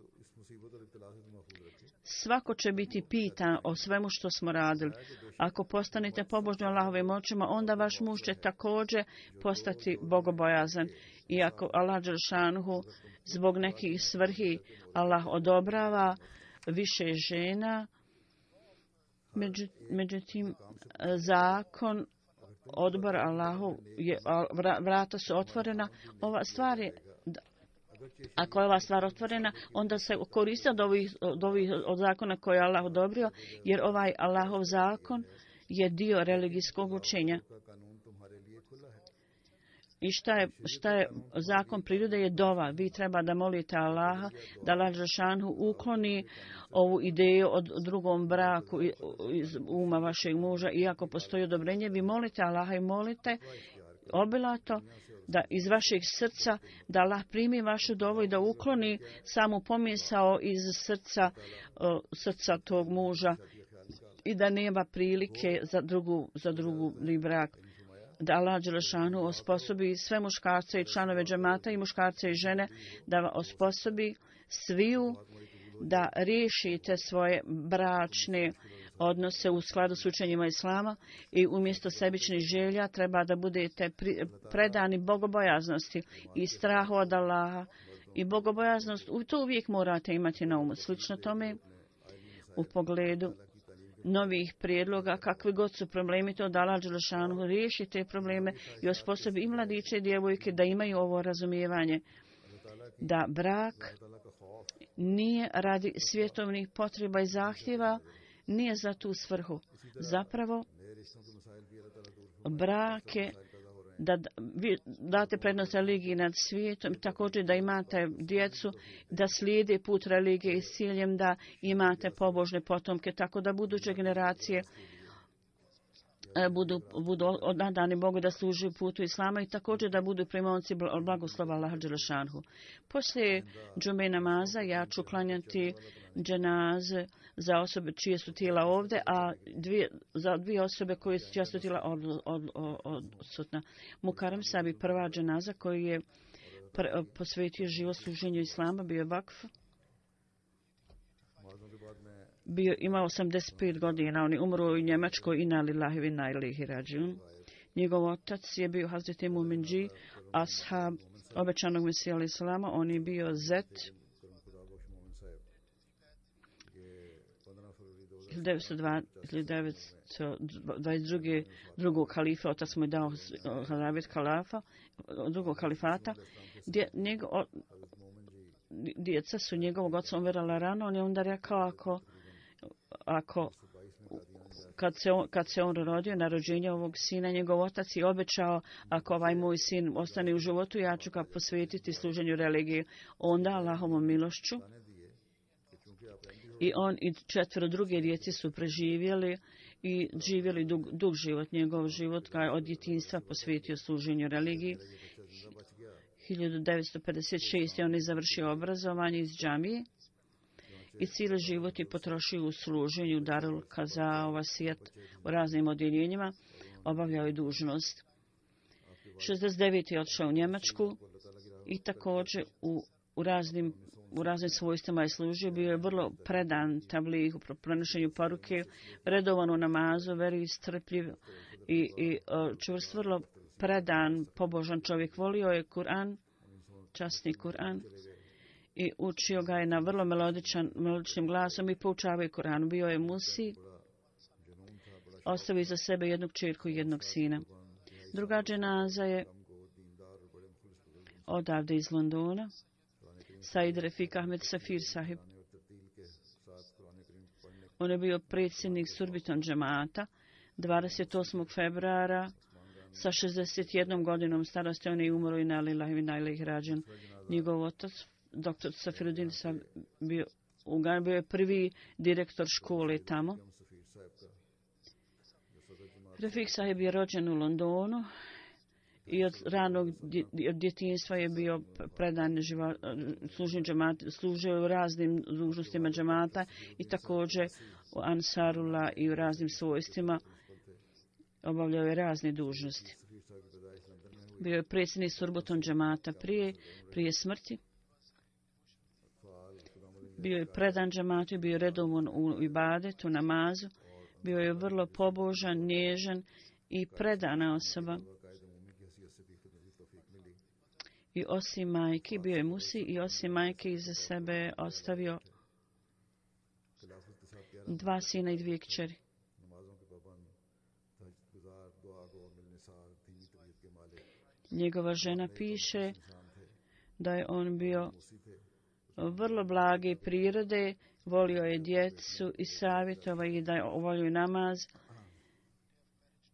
Svako će biti pitan o svemu što smo radili. Ako postanete pobožni Allahovim očima, onda vaš muž će također postati bogobojazan. I ako Allah dželšanuhu zbog nekih svrhi Allah odobrava više žena, međutim zakon odbor Allahu, je, vrata su otvorena. Ova stvar je, ako je ova stvar otvorena, onda se koriste od ovih, od ovih od zakona koje je Allah odobrio, jer ovaj Allahov zakon je dio religijskog učenja. I šta je, šta je zakon prirode je dova. Vi treba da molite Allaha da Allah dželšanuhu ukloni ovu ideju od drugom braku iz uma vašeg muža. Iako postoji odobrenje, vi molite Allaha i molite obilato da iz vašeg srca, da Allah primi vašu dovu i da ukloni samu pomisao iz srca, uh, srca tog muža i da nema prilike za drugu, za drugu brak. Da Allah dželešanu osposobi sve muškarce i članove džemata i muškarce i žene, da osposobi sviju da riješite svoje bračne odnose u skladu s učenjima Islama i umjesto sebičnih želja treba da budete predani bogobojaznosti i strahu od Allaha. I bogobojaznost, to uvijek morate imati na umu. Slično tome u pogledu novih prijedloga, kakvi god su problemi, to da Allah dželešanu riješi te probleme i osposobi i mladiće i djevojke da imaju ovo razumijevanje. Da brak nije radi svjetovnih potreba i zahtjeva, nije za tu svrhu. Zapravo, brak je da vi date prednost religiji nad svijetom, također da imate djecu, da slijede put religije s ciljem da imate pobožne potomke, tako da buduće generacije budu, budu odadani Bogu da služe putu Islama i također da budu primonci blagoslova Allaha dželešanhu. Poslije džume namaza ja ću klanjati dženaze za osobe čije su tijela ovdje, a dvije, za dvije osobe koje su čija su tijela od, od, od, odsutna. Mukarem Sabi, prva dženaza koji je pr, posvetio život služenju Islama, bio je vakf. Bio, imao osamdeset pet godina, on je umro u Njemačkoj, inna lillahi wa inna ilaihi rađiun. Njegov otac je bio Hazreti Muminđi, ashab obećanog Mesija alejhi selama, on je bio zet hiljadu devetsto dvadeset dva. drugog halifa, otac mu je dao halafet kalafa, drugog halifata. Dje, njegov, djeca su njegovog oca umirala rano, on je onda rekao ako, ako kad se, on, kad se on rodio na rođenje ovog sina, njegov otac je obećao ako ovaj moj sin ostane u životu, ja ću ga posvetiti služenju religije. Onda Allahovom milošću i on i četvero druge djece su preživjeli i živjeli dug, dug život. Njegov život ga je od djetinjstva posvetio služenju religiji. hiljadu devetsto pedeset šeste. on je završio obrazovanje iz džamije i cijeli život je potrošio u služenju Darul Kaza, Vasijat u raznim odjeljenjima. Obavljao je dužnost. šezdeset devete. je otišao u Njemačku i također u, u raznim u raznim svojstvima je služio, bio je vrlo predan tablihu, prenošenju poruke, redovan u namazu, veri strpljiv i, i čvrst, vrlo predan, pobožan čovjek. Volio je Kur'an, časni Kur'an, i učio ga je na vrlo melodičan, melodičnim glasom i poučavao je Kur'anu. Bio je musi, ostavio za sebe jednu kćerku i jednog sina. Druga dženaza je odavde iz Londona, Said Refik Ahmed Safir sahib. On je bio predsjednik Surbiton džemata. dvadeset osmog februara sa šezdeset jednom godinom starosti on je umro i na lillahi wa inna ilaihi rađen. Njegov otac, doktor Safiruddin, bio, bio je prvi direktor škole tamo. Refik sahib je rođen u Londonu i od ranog od djetinjstva je bio predan služenju džemata, služio u raznim dužnostima džemata i također u Ansarullah i u raznim svojstvima obavljao je razne dužnosti. Bio je predsjednik Surbiton džemata prije, prije smrti. Bio je predan džematu, bio je redovan u ibadetu, namazu. Bio je vrlo pobožan, nježan i predana osoba. I osim majke, bio je musi i osim majke iza sebe ostavio dva sina i dvije kćeri. Njegova žena piše da je on bio vrlo blage prirode, volio je djecu i savjetovao ih da volio namaz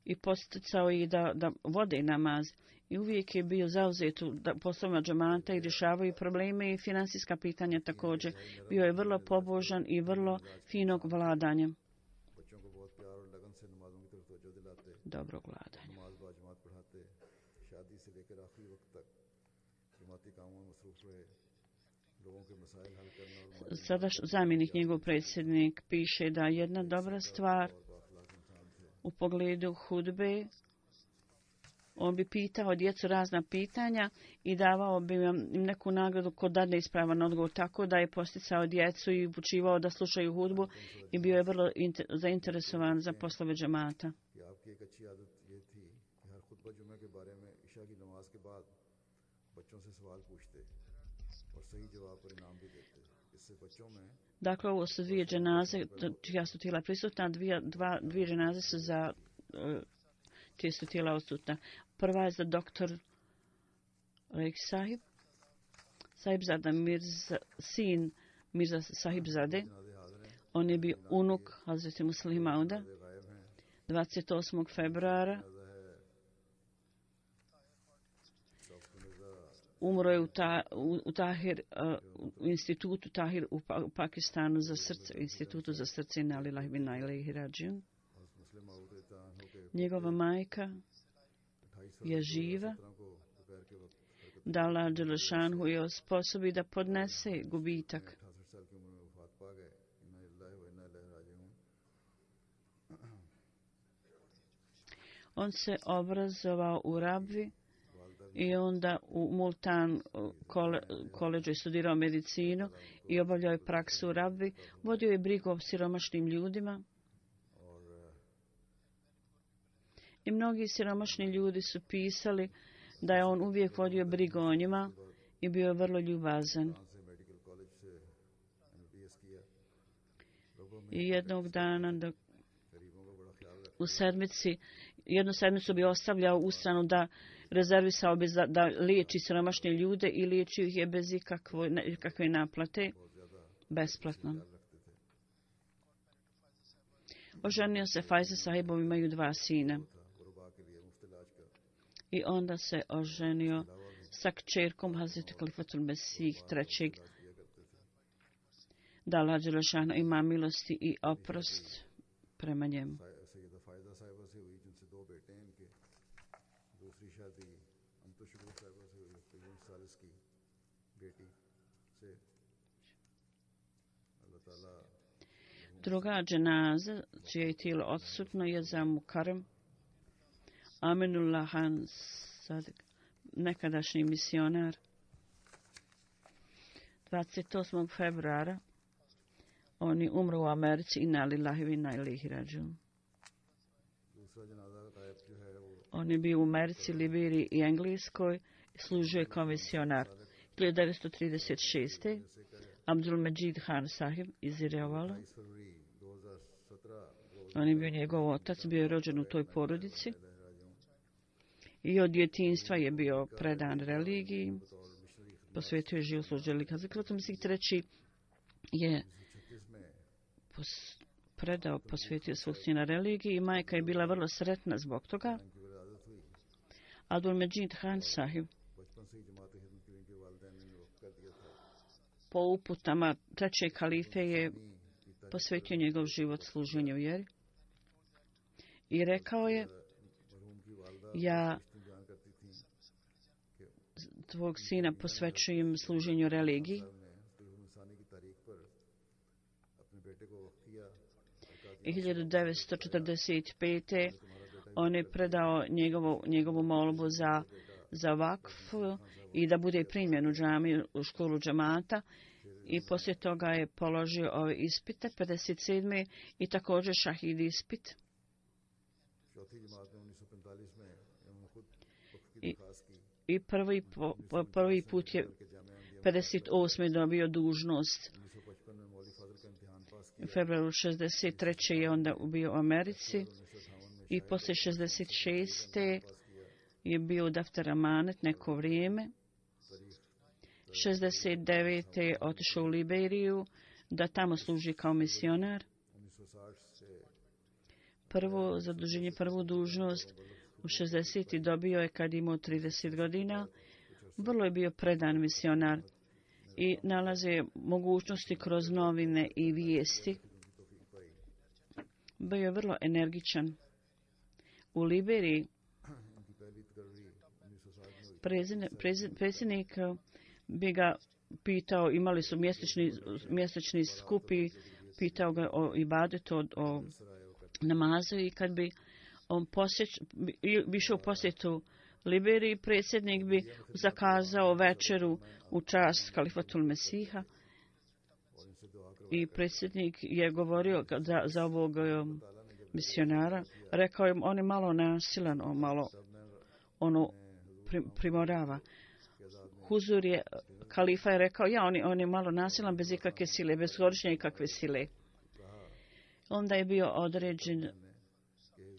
i posticao ih da, da vode namaz. I uvijek je bio zauzet u poslovima džemata i rješavaju probleme i financijska pitanja također. Bio je vrlo pobožan i vrlo finog vladanja. Dobro vladanje. Sada zamjenik njegov predsjednik piše da jedna dobra stvar u pogledu hudbe, on bi pitao djecu razna pitanja i davao bi im neku nagradu ko dadne ispravan odgovor, tako da je posticao djecu i upućivao da slušaju hudbu i bio je vrlo inter, zainteresovan za poslove džemata. Dakle, ovo su dvije dženaze, čija su tijela prisutna, dvije, dva, dvije dženaze su za uh, čije su tijela odsutna. Prva je za doktor Reik sahib, Sahibzada Mirza, sin Mirza Sahibzade. On je bio unuk Hazreti Muslih Mauda. dvadeset osmog februara umro je u, ta, u, u Tahir, uh, u institutu Tahir u, pa, u Pakistanu za srce, institutu za srce na lillahi wa inna ilaihi rađiun. Njegova majka je živa, da Allah Đelešanhu je osposobi da podnese gubitak. On se obrazovao u Rabvi i onda u Multan kole, koleđu je studirao medicinu i obavljao je praksu u Rabvi. Vodio je brigu o siromašnim ljudima. I mnogi siromašni ljudi su pisali da je on uvijek vodio brigu o njima i bio je vrlo ljubazan. I jednog dana dok u sedmici, jednu sedmicu bi ostavljao u stranu da rezervisao bi za, da liječi siromašne ljude i liječio ih je bez ikakve, ikakve naplate, besplatno. Oženio se Fajza sahibom, imaju dva sina. I onda se oženio sa kćerkom Hazreti Kalifatul Mesih trećeg. Da Allah Đelešanu ima milosti i oprost prema njemu. Druga dženaza, čije je tijelo odsutno, je za Mukarem Aminullah Han Sadik, nekadašnji misionar. dvadeset osmog februara on je umro u Americi i na lillahi wa inna ilaihi rađiun. On je bio u Americi, Liberiji i Engleskoj, služio je kao misionar. hiljadu devetsto trideset šeste. Abdul Majid Khan sahib iz Irevala. On je bio njegov otac, bio je rođen u toj porodici. I od djetinjstva je bio predan religiji. posvetio je život službi religiji. Hazrat Mesih treći je pos, predao, posvetio svog sina religiji i majka je bila vrlo sretna zbog toga. Abdul Međid Khan Sahib po uputama trećeg kalife je posvetio njegov život služenju vjeri i rekao je: ja tvog sina posvećujem služenju religiji. I hiljadu devetsto četrdeset pete on je predao njegovu, njegovu molbu za, za vakf i da bude primjen u džamiju, u školu džamata. I poslije toga je položio ove ispite, pedeset sedme i također šahid ispit. I, i prvi, po, prvi put je pedeset osme dobio dužnost. U februaru šezdeset treće je onda bio u Americi i poslije šezdeset šeste je bio u Daftar Amanet neko vrijeme. šezdeset devete je otišao u Liberiju da tamo služi kao misionar. Prvo zaduženje, prvu dužnost u šezdeset dobio je kad imao trideset godina. Vrlo je bio predan misionar i nalaze mogućnosti kroz novine i vijesti. Bio je vrlo energičan. U Liberiji predsjednik bi ga pitao, imali su mjesečni, mjesečni skupi, pitao ga o ibadetu, o, o namazu i kad bi on posjeć, bi išao u posjetu Liberiji, predsjednik bi zakazao večeru u čast Kalifatul Mesiha i predsjednik je govorio za, za ovog um, misionara, rekao je on je malo nasilan, on malo ono primorava. Huzur je, kalifa je rekao, ja, on je, on je malo nasilan bez ikakve sile, bez korištenja ikakve sile. Onda je bio određen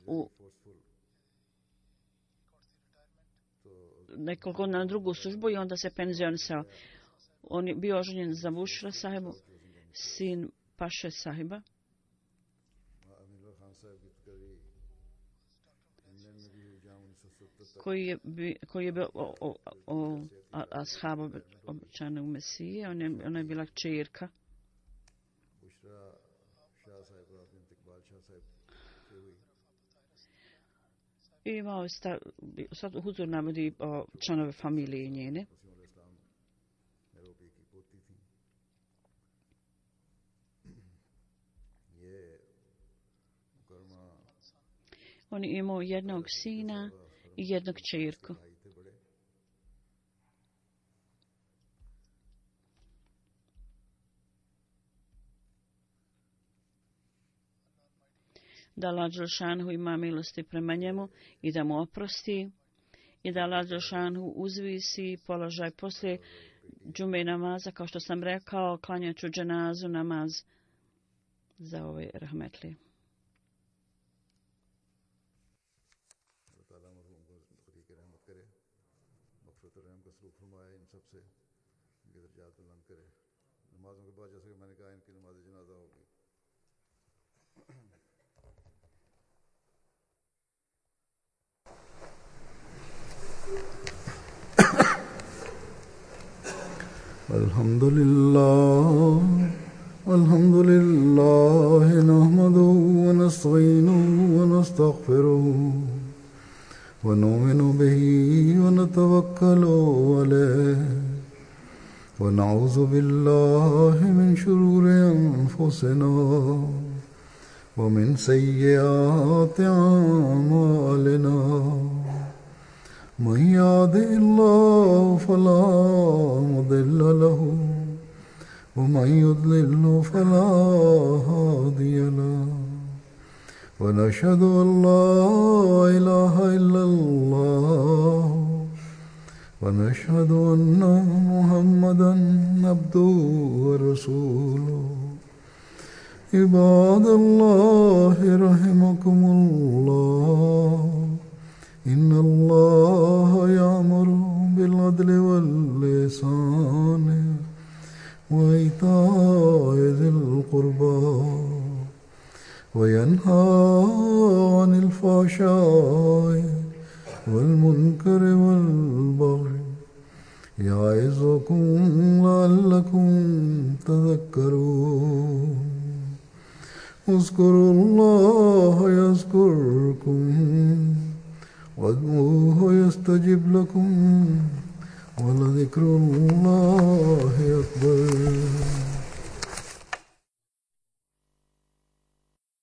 u nekoliko na drugu službu i onda se penzionisao. On je bio oženjen za Bušra sahibu, sin Paše sahiba. Koji je, koji je bio o, o, o ashab obećanog Mesije. On je, ona je bila kćerka. I imao sta, sad Huzur navodi o članove familije njene. On je imao jednog sina i jednog kćerku. Da Allah Đelšanhu ima milosti prema njemu i da mu oprosti i da Allah Đelšanhu uzvisi položaj poslije džume namaza, kao što sam rekao, klanjat ću dženazu namaz za ove rahmetli. Alhamdulillah, alhamdulillah, nahmaduhu wa nasta'inuhu wa nastaghfiruhu wa nu'minu bihi wa natawakkalu alayhi wa na'udhu billahi min shururi anfusina wa min sayyiati a'malina. من يهده الله فلا مضل له ومن يضلل فلا هادي له ونشهد أن لا إله إلا الله ونشهد أن محمدا عبده ورسوله عباد الله رحمكم الله إن الله يأمر بالعدل والإحسان وينهى عن الفحشاء والمنكر والبغي يعظكم لعلكم تذكرون اذكروا الله يذكركم وادعوه يستجب لكم ولذكر الله أكبر.